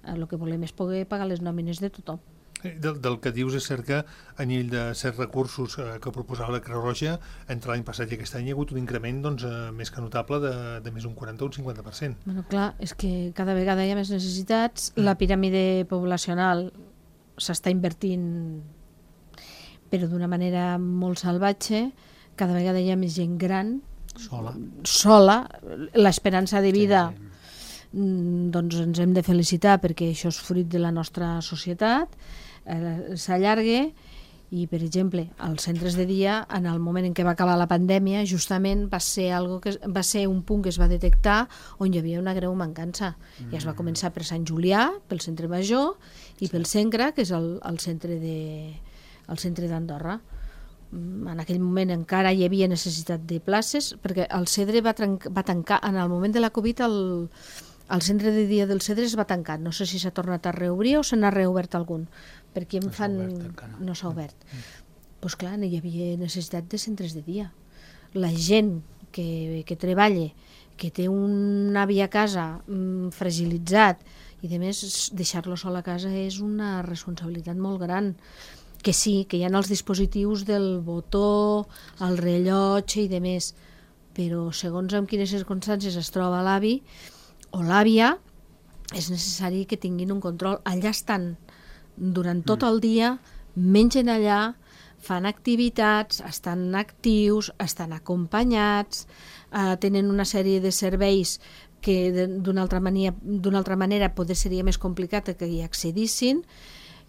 El que volem és poder pagar les nòmines de tothom.
Del, del que dius és cert que a nivell de certs recursos eh, que proposava la Creu Roja, entre l'any passat i aquest any hi ha hagut un increment doncs, eh, més que notable de, de més d'un quaranta o un cinquanta per cent.
Bueno, clar, és que cada vegada hi ha més necessitats, mm. la piràmide poblacional s'està invertint però d'una manera molt salvatge, cada vegada hi ha més gent gran,
sola,
sola. L'esperança de vida
sí, sí.
doncs ens hem de felicitar perquè això és fruit de la nostra societat, eh, s'allarga i, per exemple, als centres de dia, en el moment en què va acabar la pandèmia, justament va ser, algo que, va ser un punt que es va detectar on hi havia una greu mancança. Mm. I es va començar per Sant Julià, pel centre major, i sí. pel Segre, que és el, el centre de, el centre d'Andorra. En aquell moment encara hi havia necessitat de places, perquè el Cedre va, va tancar, en el moment de la Covid el, el centre de dia del Cedre es va tancar, no sé si s'ha tornat a reobrir o se n'ha reobert algun, perquè em
no
fan...
obert,
no s'ha obert. Doncs mm. pues clar, hi havia necessitat de centres de dia. La gent que, que treballa, que té un avi a casa mm, fragilitzat, i a més deixar-lo sol a casa és una responsabilitat molt gran. Que sí, que hi ha els dispositius del botó, el rellotge i de més, però segons en quines circumstàncies es troba l'avi o l'àvia, és necessari que tinguin un control. Allà estan durant tot el dia, mengen allà, fan activitats, estan actius, estan acompanyats, eh, tenen una sèrie de serveis que d'una altra manera, d'una altra manera poder seria més complicat que hi accedissin,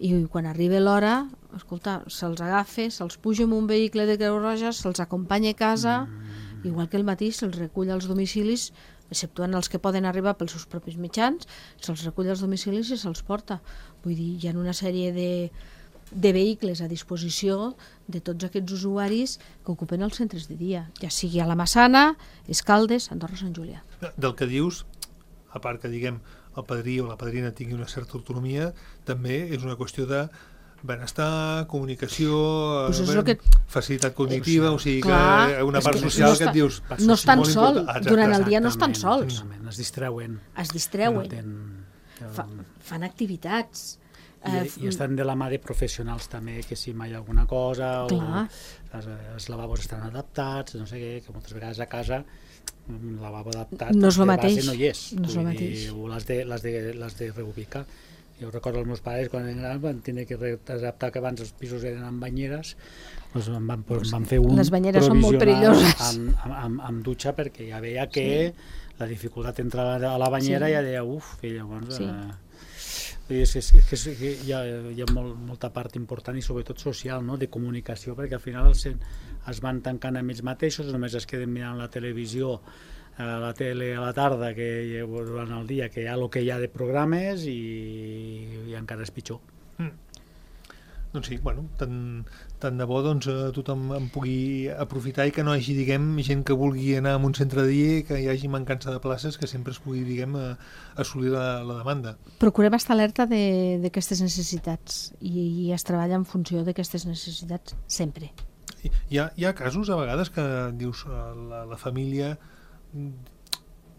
i quan arriba l'hora, escolta, se'ls agafa, se'ls puja en un vehicle de Creu Roja, se'ls acompanya a casa, mm. igual que el matí se'ls recull als domicilis, exceptuant els que poden arribar pels seus propis mitjans, se'ls recull als domicilis i se'ls porta. Vull dir, hi ha una sèrie de, de vehicles a disposició de tots aquests usuaris que ocupen els centres de dia, ja sigui a la Massana, Escaldes, Andorra, Sant Julià.
Del que dius, a part que diguem el padrí o la padrina tingui una certa autonomia, també és una qüestió de benestar, comunicació,
pues
ben,
que...
facilitat cognitiva, o sigui
Clar,
que una part
que
social
no
que et dius...
No estan sols,
ah,
durant el dia no estan sols.
Es distreuen.
Es distreuen.
No ten...
Fa, fan activitats.
I, I estan de la mà de professionals també, que si mai hi ha alguna cosa,
Clar.
o els, els lavabos estan adaptats, no sé què, que moltes vegades a casa un lavabo adaptat
no és el
de
mateix.
base no hi és,
no és el
vull
mateix.
dir, o l'has de, l'has de, l'has de reubicar. Jo recordo els meus pares quan eren grans van tenir que adaptar, que abans els pisos eren amb banyeres, doncs van, van, van fer un
Les banyeres són molt perilloses.
amb, amb, amb, amb dutxa, perquè ja veia que sí. la dificultat d'entrar a la banyera sí. ja deia uf, i llavors
sí.
eh, és, és, és, és, hi ha, hi ha molt, molta part important i sobretot social, no? De comunicació, perquè al final es, es van tancant amb ells mateixos, només es queden mirant la televisió, a la tele a la tarda, que durant el dia que hi ha el que hi ha de programes i, i encara és pitjor.
Mm. Doncs sí, bueno, tant, tant de bo doncs, tothom en pugui aprofitar i que no hi hagi, diguem, gent que vulgui anar a un centre de dia i que hi hagi mancança de places, que sempre es pugui, diguem, assolir la, la demanda.
Procurem estar alerta d'aquestes necessitats i, i es treballa en funció d'aquestes necessitats sempre.
Hi ha, hi ha casos a vegades que dius la, la família,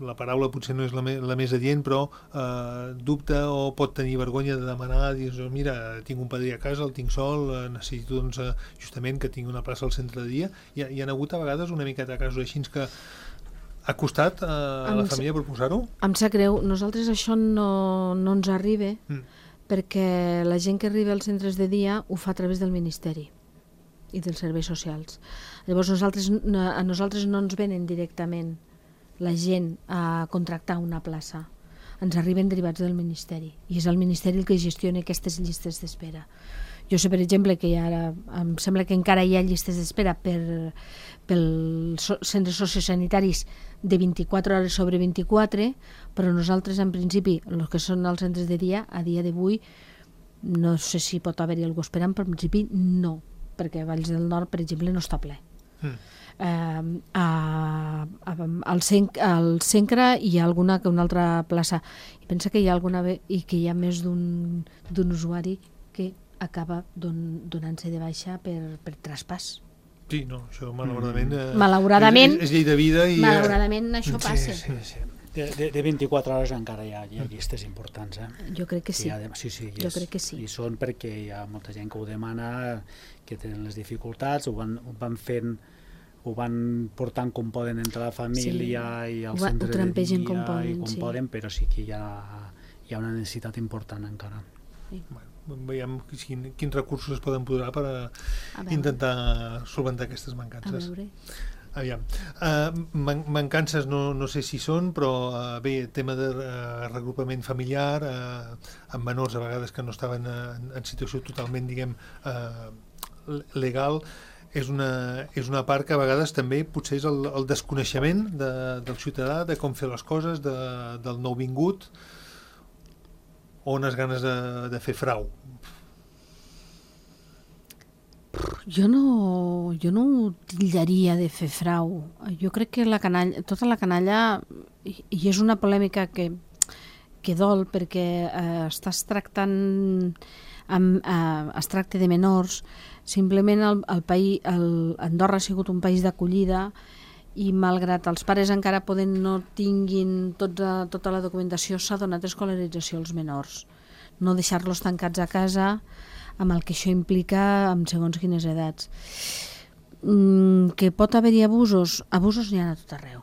la paraula potser no és la, me, la més adient, però eh, dubta o pot tenir vergonya de demanar, dius, mira, tinc un padrí a casa, el tinc sol, eh, necessito doncs, eh, justament que tingui una plaça al centre de dia. Hi ha, hi ha hagut a vegades una miqueta de casos així que ha costat eh, a la família proposar-ho?
Em sap greu, nosaltres això no, no ens arriba mm. perquè la gent que arriba als centres de dia ho fa a través del Ministeri i dels serveis socials. Llavors nosaltres, a nosaltres no ens venen directament la gent a contractar una plaça, ens arriben derivats del Ministeri i és el Ministeri el que gestiona aquestes llistes d'espera. Jo sé, per exemple, que ara em sembla que encara hi ha llistes d'espera per, pels centres sociosanitaris de vint-i-quatre hores sobre vint-i-quatre, però nosaltres en principi, els que són els centres de dia, a dia d'avui no sé si pot haver-hi algú esperant, però en principi no, perquè a Valls del Nord, per exemple, no està ple. Mm. Uh, a, a, al, Cen, al Cencre hi ha alguna que una altra plaça i pensa que hi ha alguna i que hi ha més d'un d'un usuari que acaba don, donant-se de baixa per, per traspàs.
Sí, no, això malauradament, eh,
malauradament
és, és llei de vida i
malauradament eh, això
sí,
passa.
Sí, sí.
De, de, de vint-i-quatre hores encara hi ha, hi ha llistes importants, eh?
Jo crec que sí.
De, sí, sí,
jo és, crec que sí.
I són perquè hi ha molta gent que ho demana, que tenen les dificultats, ho van, ho van fent, ho van portant com poden entre la família sí. i al centre de dia
com poden,
i com
sí.
poden, però sí que hi ha, hi ha una necessitat important encara.
Sí.
Bueno, veiem quin, quins recursos es poden posar per a a intentar solventar aquestes mancances.
A veure.
Aviam. Uh, man mancances no, no sé si són, però uh, bé, tema de uh, regrupament familiar, uh, amb menors a vegades que no estaven uh, en situació totalment, diguem, uh, legal, és una, és una part que a vegades també potser és el, el desconeixement de, del ciutadà, de com fer les coses, de, del nouvingut, o unes ganes de, de fer frau.
Jo no, jo no ho titllaria de fer frau. Jo crec que la canalla, tota la canalla, i, i és una polèmica que, que dol, perquè eh, estàs tractant, amb, eh, es tracta de menors. Simplement el, el país, el, Andorra ha sigut un país d'acollida i malgrat els pares encara poden no tinguin tota, tota la documentació, s'ha donat escolarització als menors. No deixar-los tancats a casa amb el que això implica amb segons quines edats. Mm, que pot haver-hi abusos? Abusos n'hi ha a tot arreu.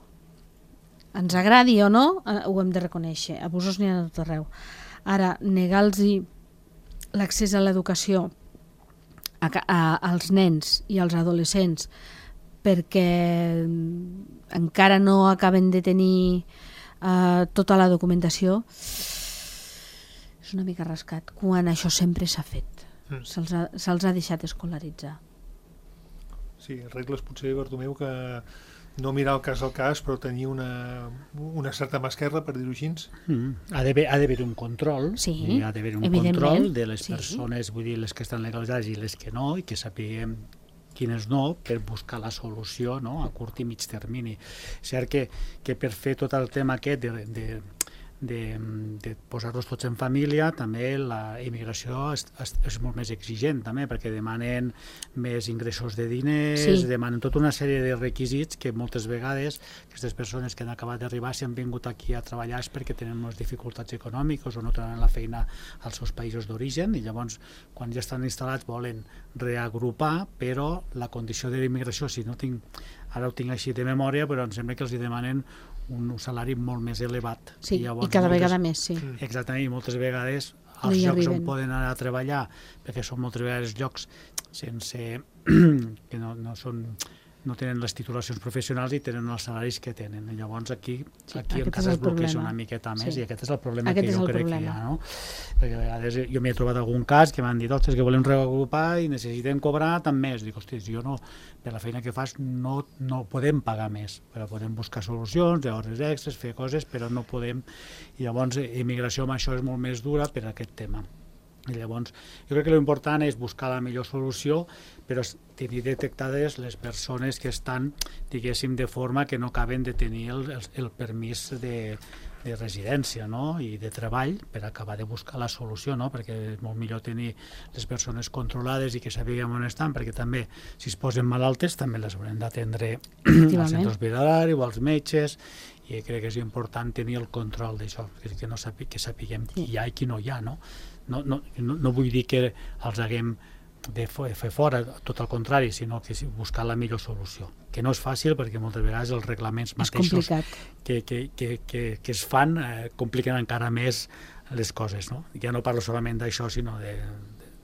Ens agradi o no, ho hem de reconèixer. Abusos n'hi ha a tot arreu. Ara, negar-los l'accés a l'educació a, a, als nens i als adolescents perquè encara no acaben de tenir uh, tota la documentació és una mica rascat, quan això sempre s'ha fet. Mm. Se'ls ha, se'ls ha deixat escolaritzar.
Sí, regles potser, Bartomeu, que no mirar el cas al cas, però tenir una, una certa mà esquerra, per dir-ho així.
Mm. Ha d'haver un control,
sí,
ha d'haver un control de les sí. persones, vull dir, les que estan legalitzades i les que no, i que sapiguem quines no, per buscar la solució, no?, a curt i mig termini. És cert que, que per fer tot el tema aquest de, de, de, de posar-los tots en família, també la immigració és, és, és molt més exigent, també, perquè demanen més ingressos de diners,
Sí.
demanen tota una sèrie de requisits que moltes vegades aquestes persones que han acabat d'arribar, si han vingut aquí a treballar és perquè tenen unes dificultats econòmiques o no tenen la feina als seus països d'origen, i llavors quan ja estan instal·lats volen reagrupar, però la condició de l'immigració, si no tinc, ara ho tinc així de memòria, però em sembla que els hi demanen un salari molt més elevat.
Sí,
I, llavors,
i cada
moltes,
vegada més, sí.
Exactament, i moltes vegades
No
els
hi
llocs
arriben.
on poden anar a treballar, perquè són moltes vegades llocs sense que no, no són no tenen les titulacions professionals i tenen els salaris que tenen. I llavors aquí,
Sí,
aquí
aquest
encara
és el
es bloqueja
problema.
una miqueta més,
Sí.
i aquest és el problema
Aquest
que
és
jo
el
crec
problema.
que hi ha, no? Perquè a vegades jo m'hi he trobat algun cas que m'han dit, ostres, que volem reagrupar i necessitem cobrar tant més. Dic, hòstia, jo no, per la feina que fas no, no podem pagar més, però podem buscar solucions, de hores extres, fer coses, però no podem. I llavors, immigració amb això és molt més dura per aquest tema. I llavors, jo crec que l'important és buscar la millor solució, però tenir detectades les persones que estan, diguéssim, de forma que no acaben de tenir el, el, el permís de, de residència, no? I de treball per acabar de buscar la solució, no? Perquè és molt millor tenir les persones controlades i que sapiguem on estan, perquè també, si es posen malaltes, també les haurem d'atendre als centres hospitalaris o als metges, i crec que és important tenir el control d'això, que, que, no sapi, que sapiguem qui hi ha i qui no hi ha, no? No, no, no, no vull dir que els haguem de fer fora, tot el contrari, sinó que buscar la millor solució, que no és fàcil perquè moltes vegades els reglaments mateixos que, que, que, que, que es fan eh, compliquen encara més les coses, no? Ja no parlo solament d'això, sinó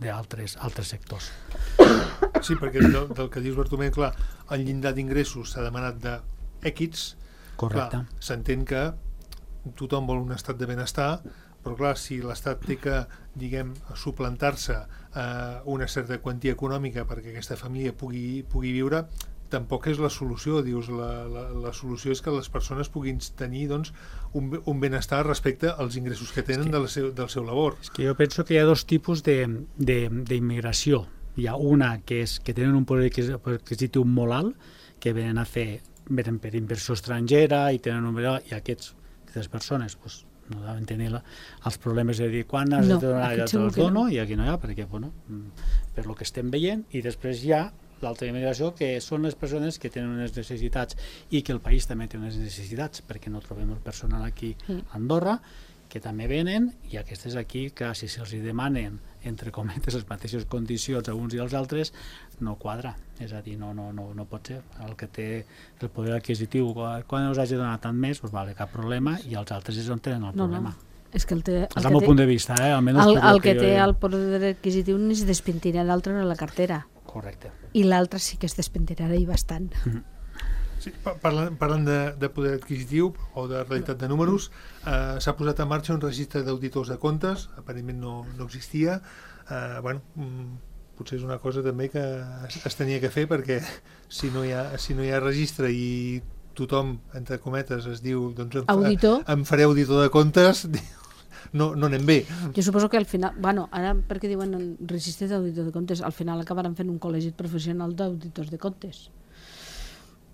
d'altres altres sectors.
Sí, perquè del, del que dius, Bartomeu, clar, el llindar d'ingressos s'ha demanat de X.
Correcte.
S'entén que tothom vol un estat de benestar, però clar, si l'Estat té que, diguem, suplantar-se eh, una certa quantia econòmica perquè aquesta família pugui, pugui viure, tampoc és la solució. Dius, la, la, la solució és que les persones puguin tenir, doncs, un, un benestar respecte als ingressos que tenen de la seu, del seu labor.
És que jo penso que hi ha dos tipus d'immigració. Hi ha una que és que tenen un poder adquisitiu molt alt, que venen a fer, venen per inversió estrangera i tenen un i aquests, aquestes persones, doncs, no deuen tenir la, els problemes de dir quan has
no,
de donar, ja te'ls dono,
no.
I aquí no hi ha, perquè, bueno, per lo que estem veient, i després hi ha l'altra immigració, que són les persones que tenen unes necessitats i que el país també té unes necessitats, perquè no trobem el personal aquí a Andorra, que també venen, i aquestes aquí, que si se'ls demanen, entre cometes, les mateixes condicions a uns i als altres, no quadra. És a dir, no, no, no, no pot ser. El que té el poder adquisitiu, quan us hagi donat tant més, doncs vale, cap problema, i els altres és on tenen el
no,
problema.
No. És que el té, el
és el meu
té,
punt de vista, eh? Almenys
el, el que,
que
té
jo...
el poder adquisitiu ni es despentinarà d'altre a la cartera.
Correcte.
I l'altre sí que es despentinarà i bastant.
Mm-hmm.
Sí, parlant, parlant de, de poder adquisitiu o de realitat de números, eh, s'ha posat en marxa un registre d'auditors de comptes, aparentment no, no existia. Eh, bueno, potser és una cosa també que es, es tenia que fer, perquè si no hi ha, si no hi ha registre i tothom, entre cometes, es diu doncs em,
auditor.
em faré auditor de comptes, no, no anem bé.
Jo suposo que al final, bueno, ara perquè diuen registre d'auditor de comptes, al final acabaran fent un col·legi professional d'auditors de comptes,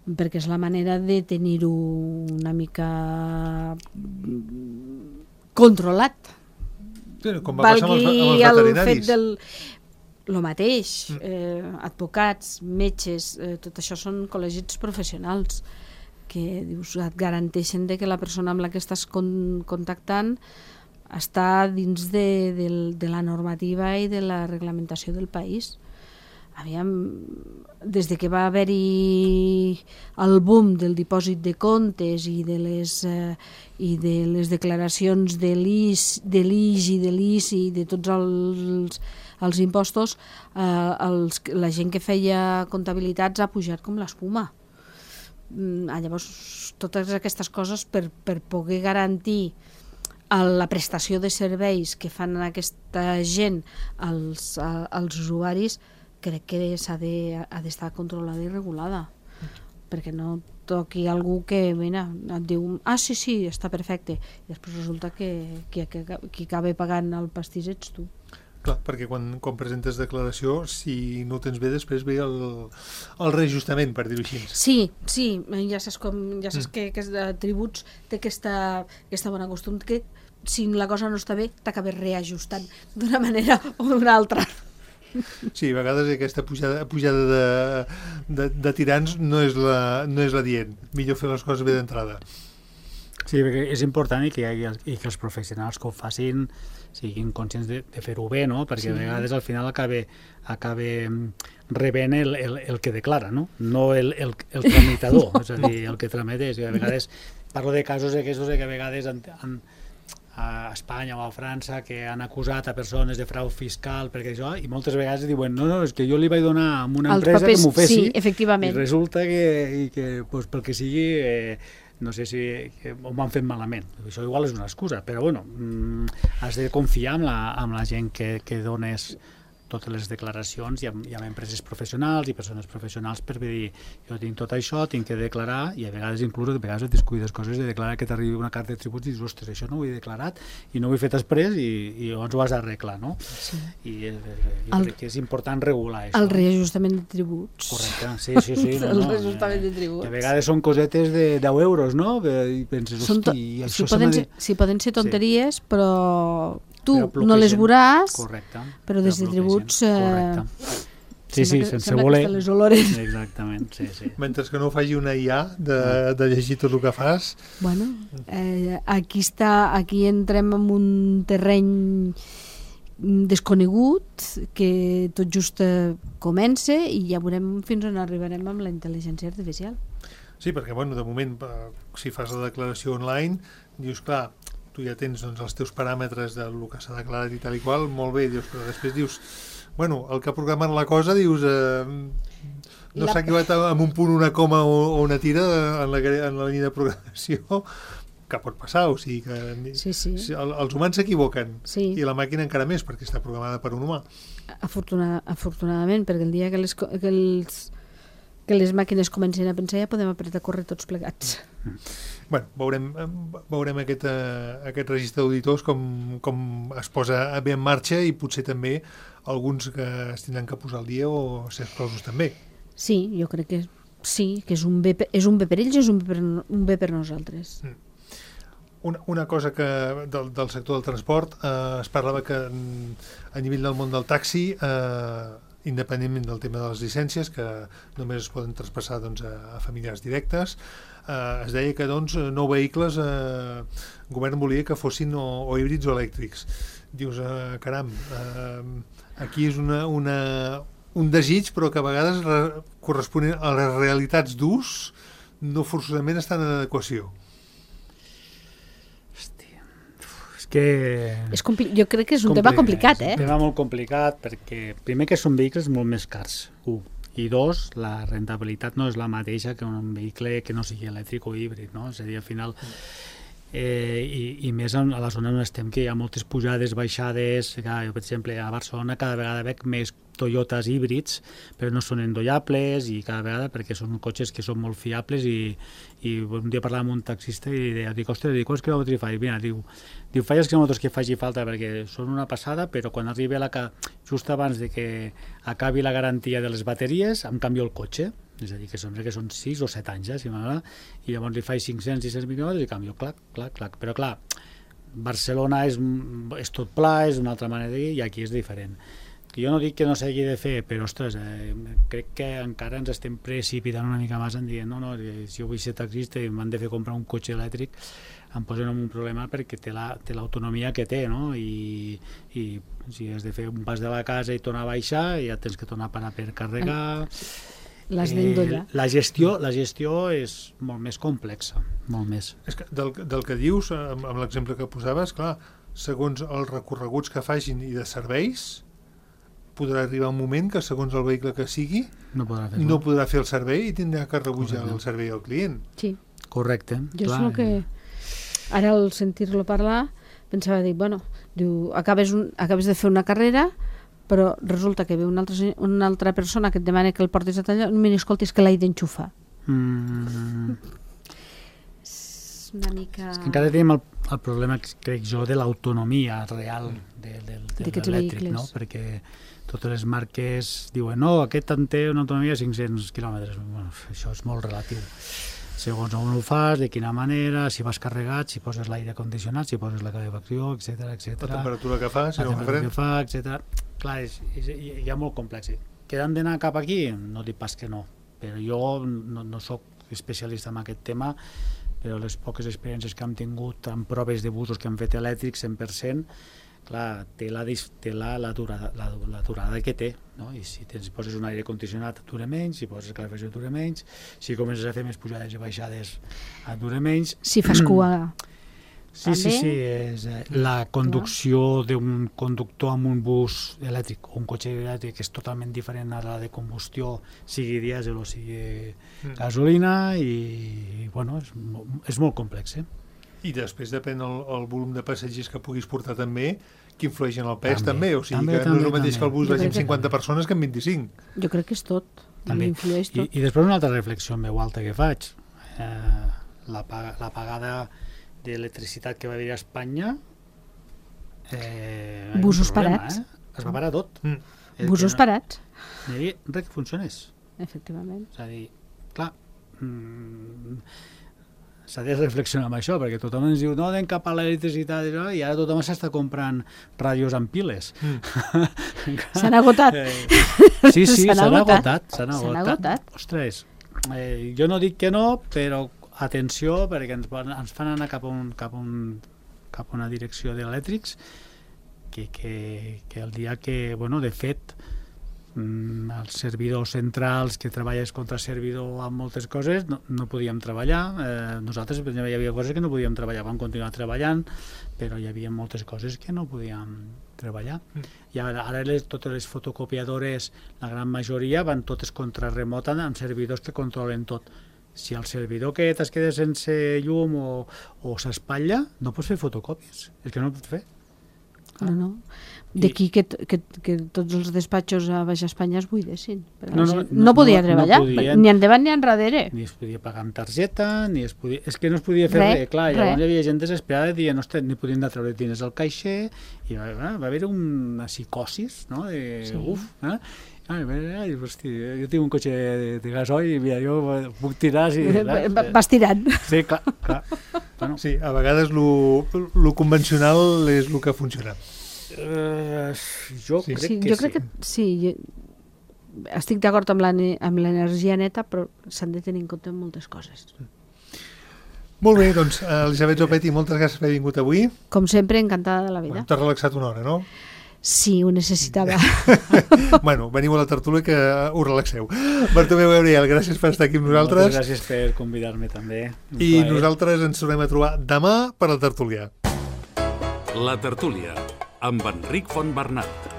perquè és la manera de tenir-ho una mica controlat.
Sí, com va passar amb els, amb els veterinaris.
El fet del... Lo mateix, eh, advocats, metges, eh, tot això són col·legis professionals que dius, et garanteixen de que la persona amb la que estàs con contactant està dins de, de, de la normativa i de la reglamentació del país. Aviam, des de que va haver-hi el boom del dipòsit de comptes i de les, eh, i de les declaracions de l'I S, de l'I G i de l'I C I, de tots els, els impostos, eh, els, la gent que feia comptabilitats ha pujat com l'espuma. Mm, llavors, totes aquestes coses per, per poder garantir la prestació de serveis que fan aquesta gent als, als usuaris, crec que s'ha de, ha d'estar controlada i regulada, perquè no toqui algú que mira, et diu, ah sí, sí, està perfecte, i després resulta que qui, que, qui acaba pagant el pastís ets tu.
Clar, perquè quan, quan presentes declaració, si no ho tens bé, després ve el, el reajustament, per dir-ho així.
Sí, sí, ja saps, com, ja saps mm. que, que de tributs té aquesta, aquesta bona costum que si la cosa no està bé, t'acabes reajustant d'una manera o d'una altra.
Sí, a vegades aquesta pujada, pujada de, de, de tirants no és, la, no és la dient. Millor fer les coses bé d'entrada.
Sí, perquè és important i que, hi hagi, i que els professionals que ho facin siguin conscients de, de fer-ho bé, no? Perquè sí. A vegades al final acaba, acaba rebent el, el, el que declara, no? No el, el, el tramitador, no. És a dir, el que tramita. És que a vegades parlo de casos aquests que a vegades han, han, a Espanya o a França que han acusat a persones de frau fiscal perquè això, i moltes vegades diuen no, no, és que jo li vaig donar a una empresa papers, que m'ho fessi,
sí, efectivament.
I resulta que, i que pues, pel que sigui eh, no sé si que ho han fet malament. Això igual és una excusa, però bueno, mm, has de confiar en la, en la gent que, que dones totes les declaracions i amb, i amb empreses professionals i persones professionals per dir jo tinc tot això, tinc que declarar, i a vegades inclús a vegades et descuides coses de declarar que t'arribi una carta de tributs i dius, ostres, això no ho he declarat i no ho he fet després i, i llavors ho has d'arreglar, no? Sí. I eh, jo el, crec que és important regular això.
El reajustament de tributs.
Correcte, sí, sí, sí. No,
el
no,
reajustament de tributs.
A vegades són cosetes de deu euros, no? I penses, hosti, això
si poden, ser, si poden ser tonteries, sí. Però tu no les veuràs, correcte, però des de tributs eh,
sí, sí, sense voler
les olores.
Exactament, sí, sí.
Mentre que no faci una I A de, de llegir tot el que fas.
Bueno, eh, aquí està, aquí entrem en un terreny desconegut que tot just comença i ja veurem fins on arribarem amb la intel·ligència artificial.
Sí, perquè bueno, de moment si fas la declaració online dius, clar, tu ja tens doncs, els teus paràmetres del que s'ha declarat i tal i qual, molt bé, dius, però després dius, bueno, el que ha programat la cosa, dius, eh, no s'ha equivocat amb un punt, una coma o, o una tira en la, en la línia de programació, que pot passar, o sigui que
sí, sí.
El, els humans s'equivoquen,
sí.
I la màquina encara més, perquè està programada per un humà.
Afortunada, afortunadament, perquè el dia que les, que els que les màquines comencin a pensar ja podem apretar a córrer tots plegats.
Bueno, veurem, veurem aquest, uh, aquest registre d'auditors com, com es posa bé en marxa i potser també alguns que es tindran que posar al dia o ser exclosos també.
Sí, jo crec que sí, que és un bé, és un bé per ells i és un bé per, un bé per nosaltres. Mm.
Una, una cosa que del, del sector del transport eh, es parlava que a nivell del món del taxi eh, independentment del tema de les llicències, que només es poden traspassar doncs, a, a familiars directes, eh, es deia que doncs, nou vehicles eh, el govern volia que fossin o, o híbrids o elèctrics. Dius, eh, caram, eh, aquí és una, una, un desig, però que a vegades re, corresponen a les realitats d'ús no forçosament estan en adequació.
Que
és jo crec que és un tema complicat, eh?
És un tema molt complicat perquè, primer, que són vehicles molt més cars, un, i dos, la rentabilitat no és la mateixa que un vehicle que no sigui elèctric o híbrid, no? És a dir, al final, eh, i, i més a la zona on estem, que hi ha moltes pujades, baixades, que, jo, per exemple, a Barcelona cada vegada veig més Toyotas híbrids, però no són endollables i cada vegada perquè són cotxes que són molt fiables i, i un dia parlava amb un taxista i deia, dic, ostres, dic, quants quilòmetres faig? Mira, diu, diu, faig els quilòmetres que faci falta perquè són una passada, però quan arribi a la ca... just abans de que acabi la garantia de les bateries, em canvio el cotxe. És a dir, que sembla que són sis o set anys, eh, si m'agrada, i llavors li faig cinc-cents sis cents quilòmetres i canvio, clac, clac, clac. Però clar, Barcelona és, és tot pla, és una altra manera de dir, i aquí és diferent. Jo no dic que no s'hagi de fer, però ostres, eh, crec que encara ens estem precipitant una mica més en dient, no, no, si jo vull ser taxista i m'han de fer comprar un cotxe elèctric, em posen en un problema perquè té l'autonomia la, que té, no? I, i si has de fer un pas de la casa i tornar a baixar, ja tens que tornar a parar per carregar.
L'has d'endollar.
Eh, la gestió, la gestió és molt més complexa, molt més.
És que del, del que dius, amb, amb l'exemple que posaves, clar, segons els recorreguts que facin i de serveis, podrà arribar un moment que segons el vehicle que sigui
no podrà fer,
no podrà fer el servei i tindrà que rebutjar el servei al client.
Sí.
Correcte.
Jo clar. És el que ara al sentir-lo parlar pensava, dic, bueno, diu, acabes, un, acabes de fer una carrera però resulta que ve una altra, una altra persona que et demana que el portis a tallar, mira, escolta, és que l'he d'enxufar.
Mm.
És una mica...
És que encara tenim el, el problema, crec jo, de l'autonomia real de, de, de, de l'elèctric, no? Perquè totes les marques diuen no, aquest en té una autonomia de cinc-cents quilòmetres. Bueno, això és molt relatiu. Segons on ho fas, de quina manera, si vas carregat, si poses l'aire condicionat, si poses la calefacció, etcètera, etcètera.
La temperatura que fa, si
la
no
temperatura que fa, etcètera. Clar, és, és, hi ha molt complex. Que han d'anar cap aquí? No dic pas que no, però jo no, no soc especialista en aquest tema, però les poques experiències que hem tingut en proves de busos que hem fet elèctrics cent per cent, clar, té la, té la, la, durada, la, la durada que té, no? I si tens, poses un aire condicionat et dura menys, si poses calefacció et dura menys, si comences a fer més pujades i baixades et dura menys.
Si fas cua...
Sí, també? sí, sí, és eh, la conducció d'un conductor amb un bus elèctric o un cotxe elèctric és totalment diferent a la de combustió, sigui dièsel o sigui mm. gasolina, i bueno, és, és molt complex, eh?
I després depèn el, el volum de passatgers que puguis portar també, que influeix en el pes també, també. O sigui també, que també, no és el mateix també. Que el bus vagi amb cinquanta que... persones que amb vint-i-cinc.
Jo crec que és tot, influeix tot.
I, I després una altra reflexió en veu alta que faig, eh, la, la pagada d'electricitat que va haver a Espanya, eh,
busos
problema,
parats.
Eh? Es va parar tot. Mm.
Busos no, parats.
No hi havia res que funcionés.
Efectivament.
És a dir, clar, mm, s'ha de reflexionar amb això, perquè tothom ens diu no anem cap a l'electricitat, i ara tothom s'està comprant ràdios amb piles.
Mm. S'han agotat.
Sí, sí, s'han agotat. S'han
agotat. agotat.
Ostres, eh, jo no dic que no, però atenció, perquè ens, ens fan anar cap a, un, cap, a un, cap a una direcció d'elèctrics que, que, que el dia que, bueno, de fet, els servidors centrals que treballes contra servidor amb moltes coses no, no podíem treballar, eh, nosaltres hi havia coses que no podíem treballar, vam continuar treballant, però hi havia moltes coses que no podíem treballar. Mm. I ara, ara les, totes les fotocopiadores, la gran majoria van totes contra remota amb servidors que controlen tot. Si el servidor que es queda sense llum o, o s'espatlla, no pots fer fotocòpies, és que no ho pots fer.
No, no. D'aquí que, que, que tots els despatxos a Baix Espanya es buidessin.
No, no, no,
no podia
no,
treballar,
no podien,
ni endavant ni enrere.
Ni es podia pagar amb targeta, ni es podia... És que no es podia fer res, clar, llavors hi havia gent desesperada i dient, no, ni podien anar a treure diners al caixer, i va, va haver una psicosis, no?, de sí. uf, eh? Ai, ai, hosti, jo tinc un cotxe de, de gasoil i mira, jo puc tirar... Si,
vas tirant.
Sí, clar, clar.
Bueno. Sí, a vegades lo convencional és el que funciona.
Uh, jo
sí.
crec
sí,
que
jo crec
sí.
Que, sí, jo estic d'acord amb l'energia neta, però s'han de tenir en compte moltes coses.
Molt bé, doncs, Elisabet Zopetti, moltes gràcies per haver vingut avui.
Com sempre, encantada de la vida.
Bueno, t'has relaxat una hora, no?
Sí, ho necessitava.
Bueno, veniu a la tertúlia que us relaxeu. Bartomeu Gabriel, gràcies per estar aquí amb nosaltres.
Moltes gràcies per convidar-me també.
Un I plaer. Nosaltres ens tornem a trobar demà per la tertúlia.
La tertúlia, amb Enric Fontbernat.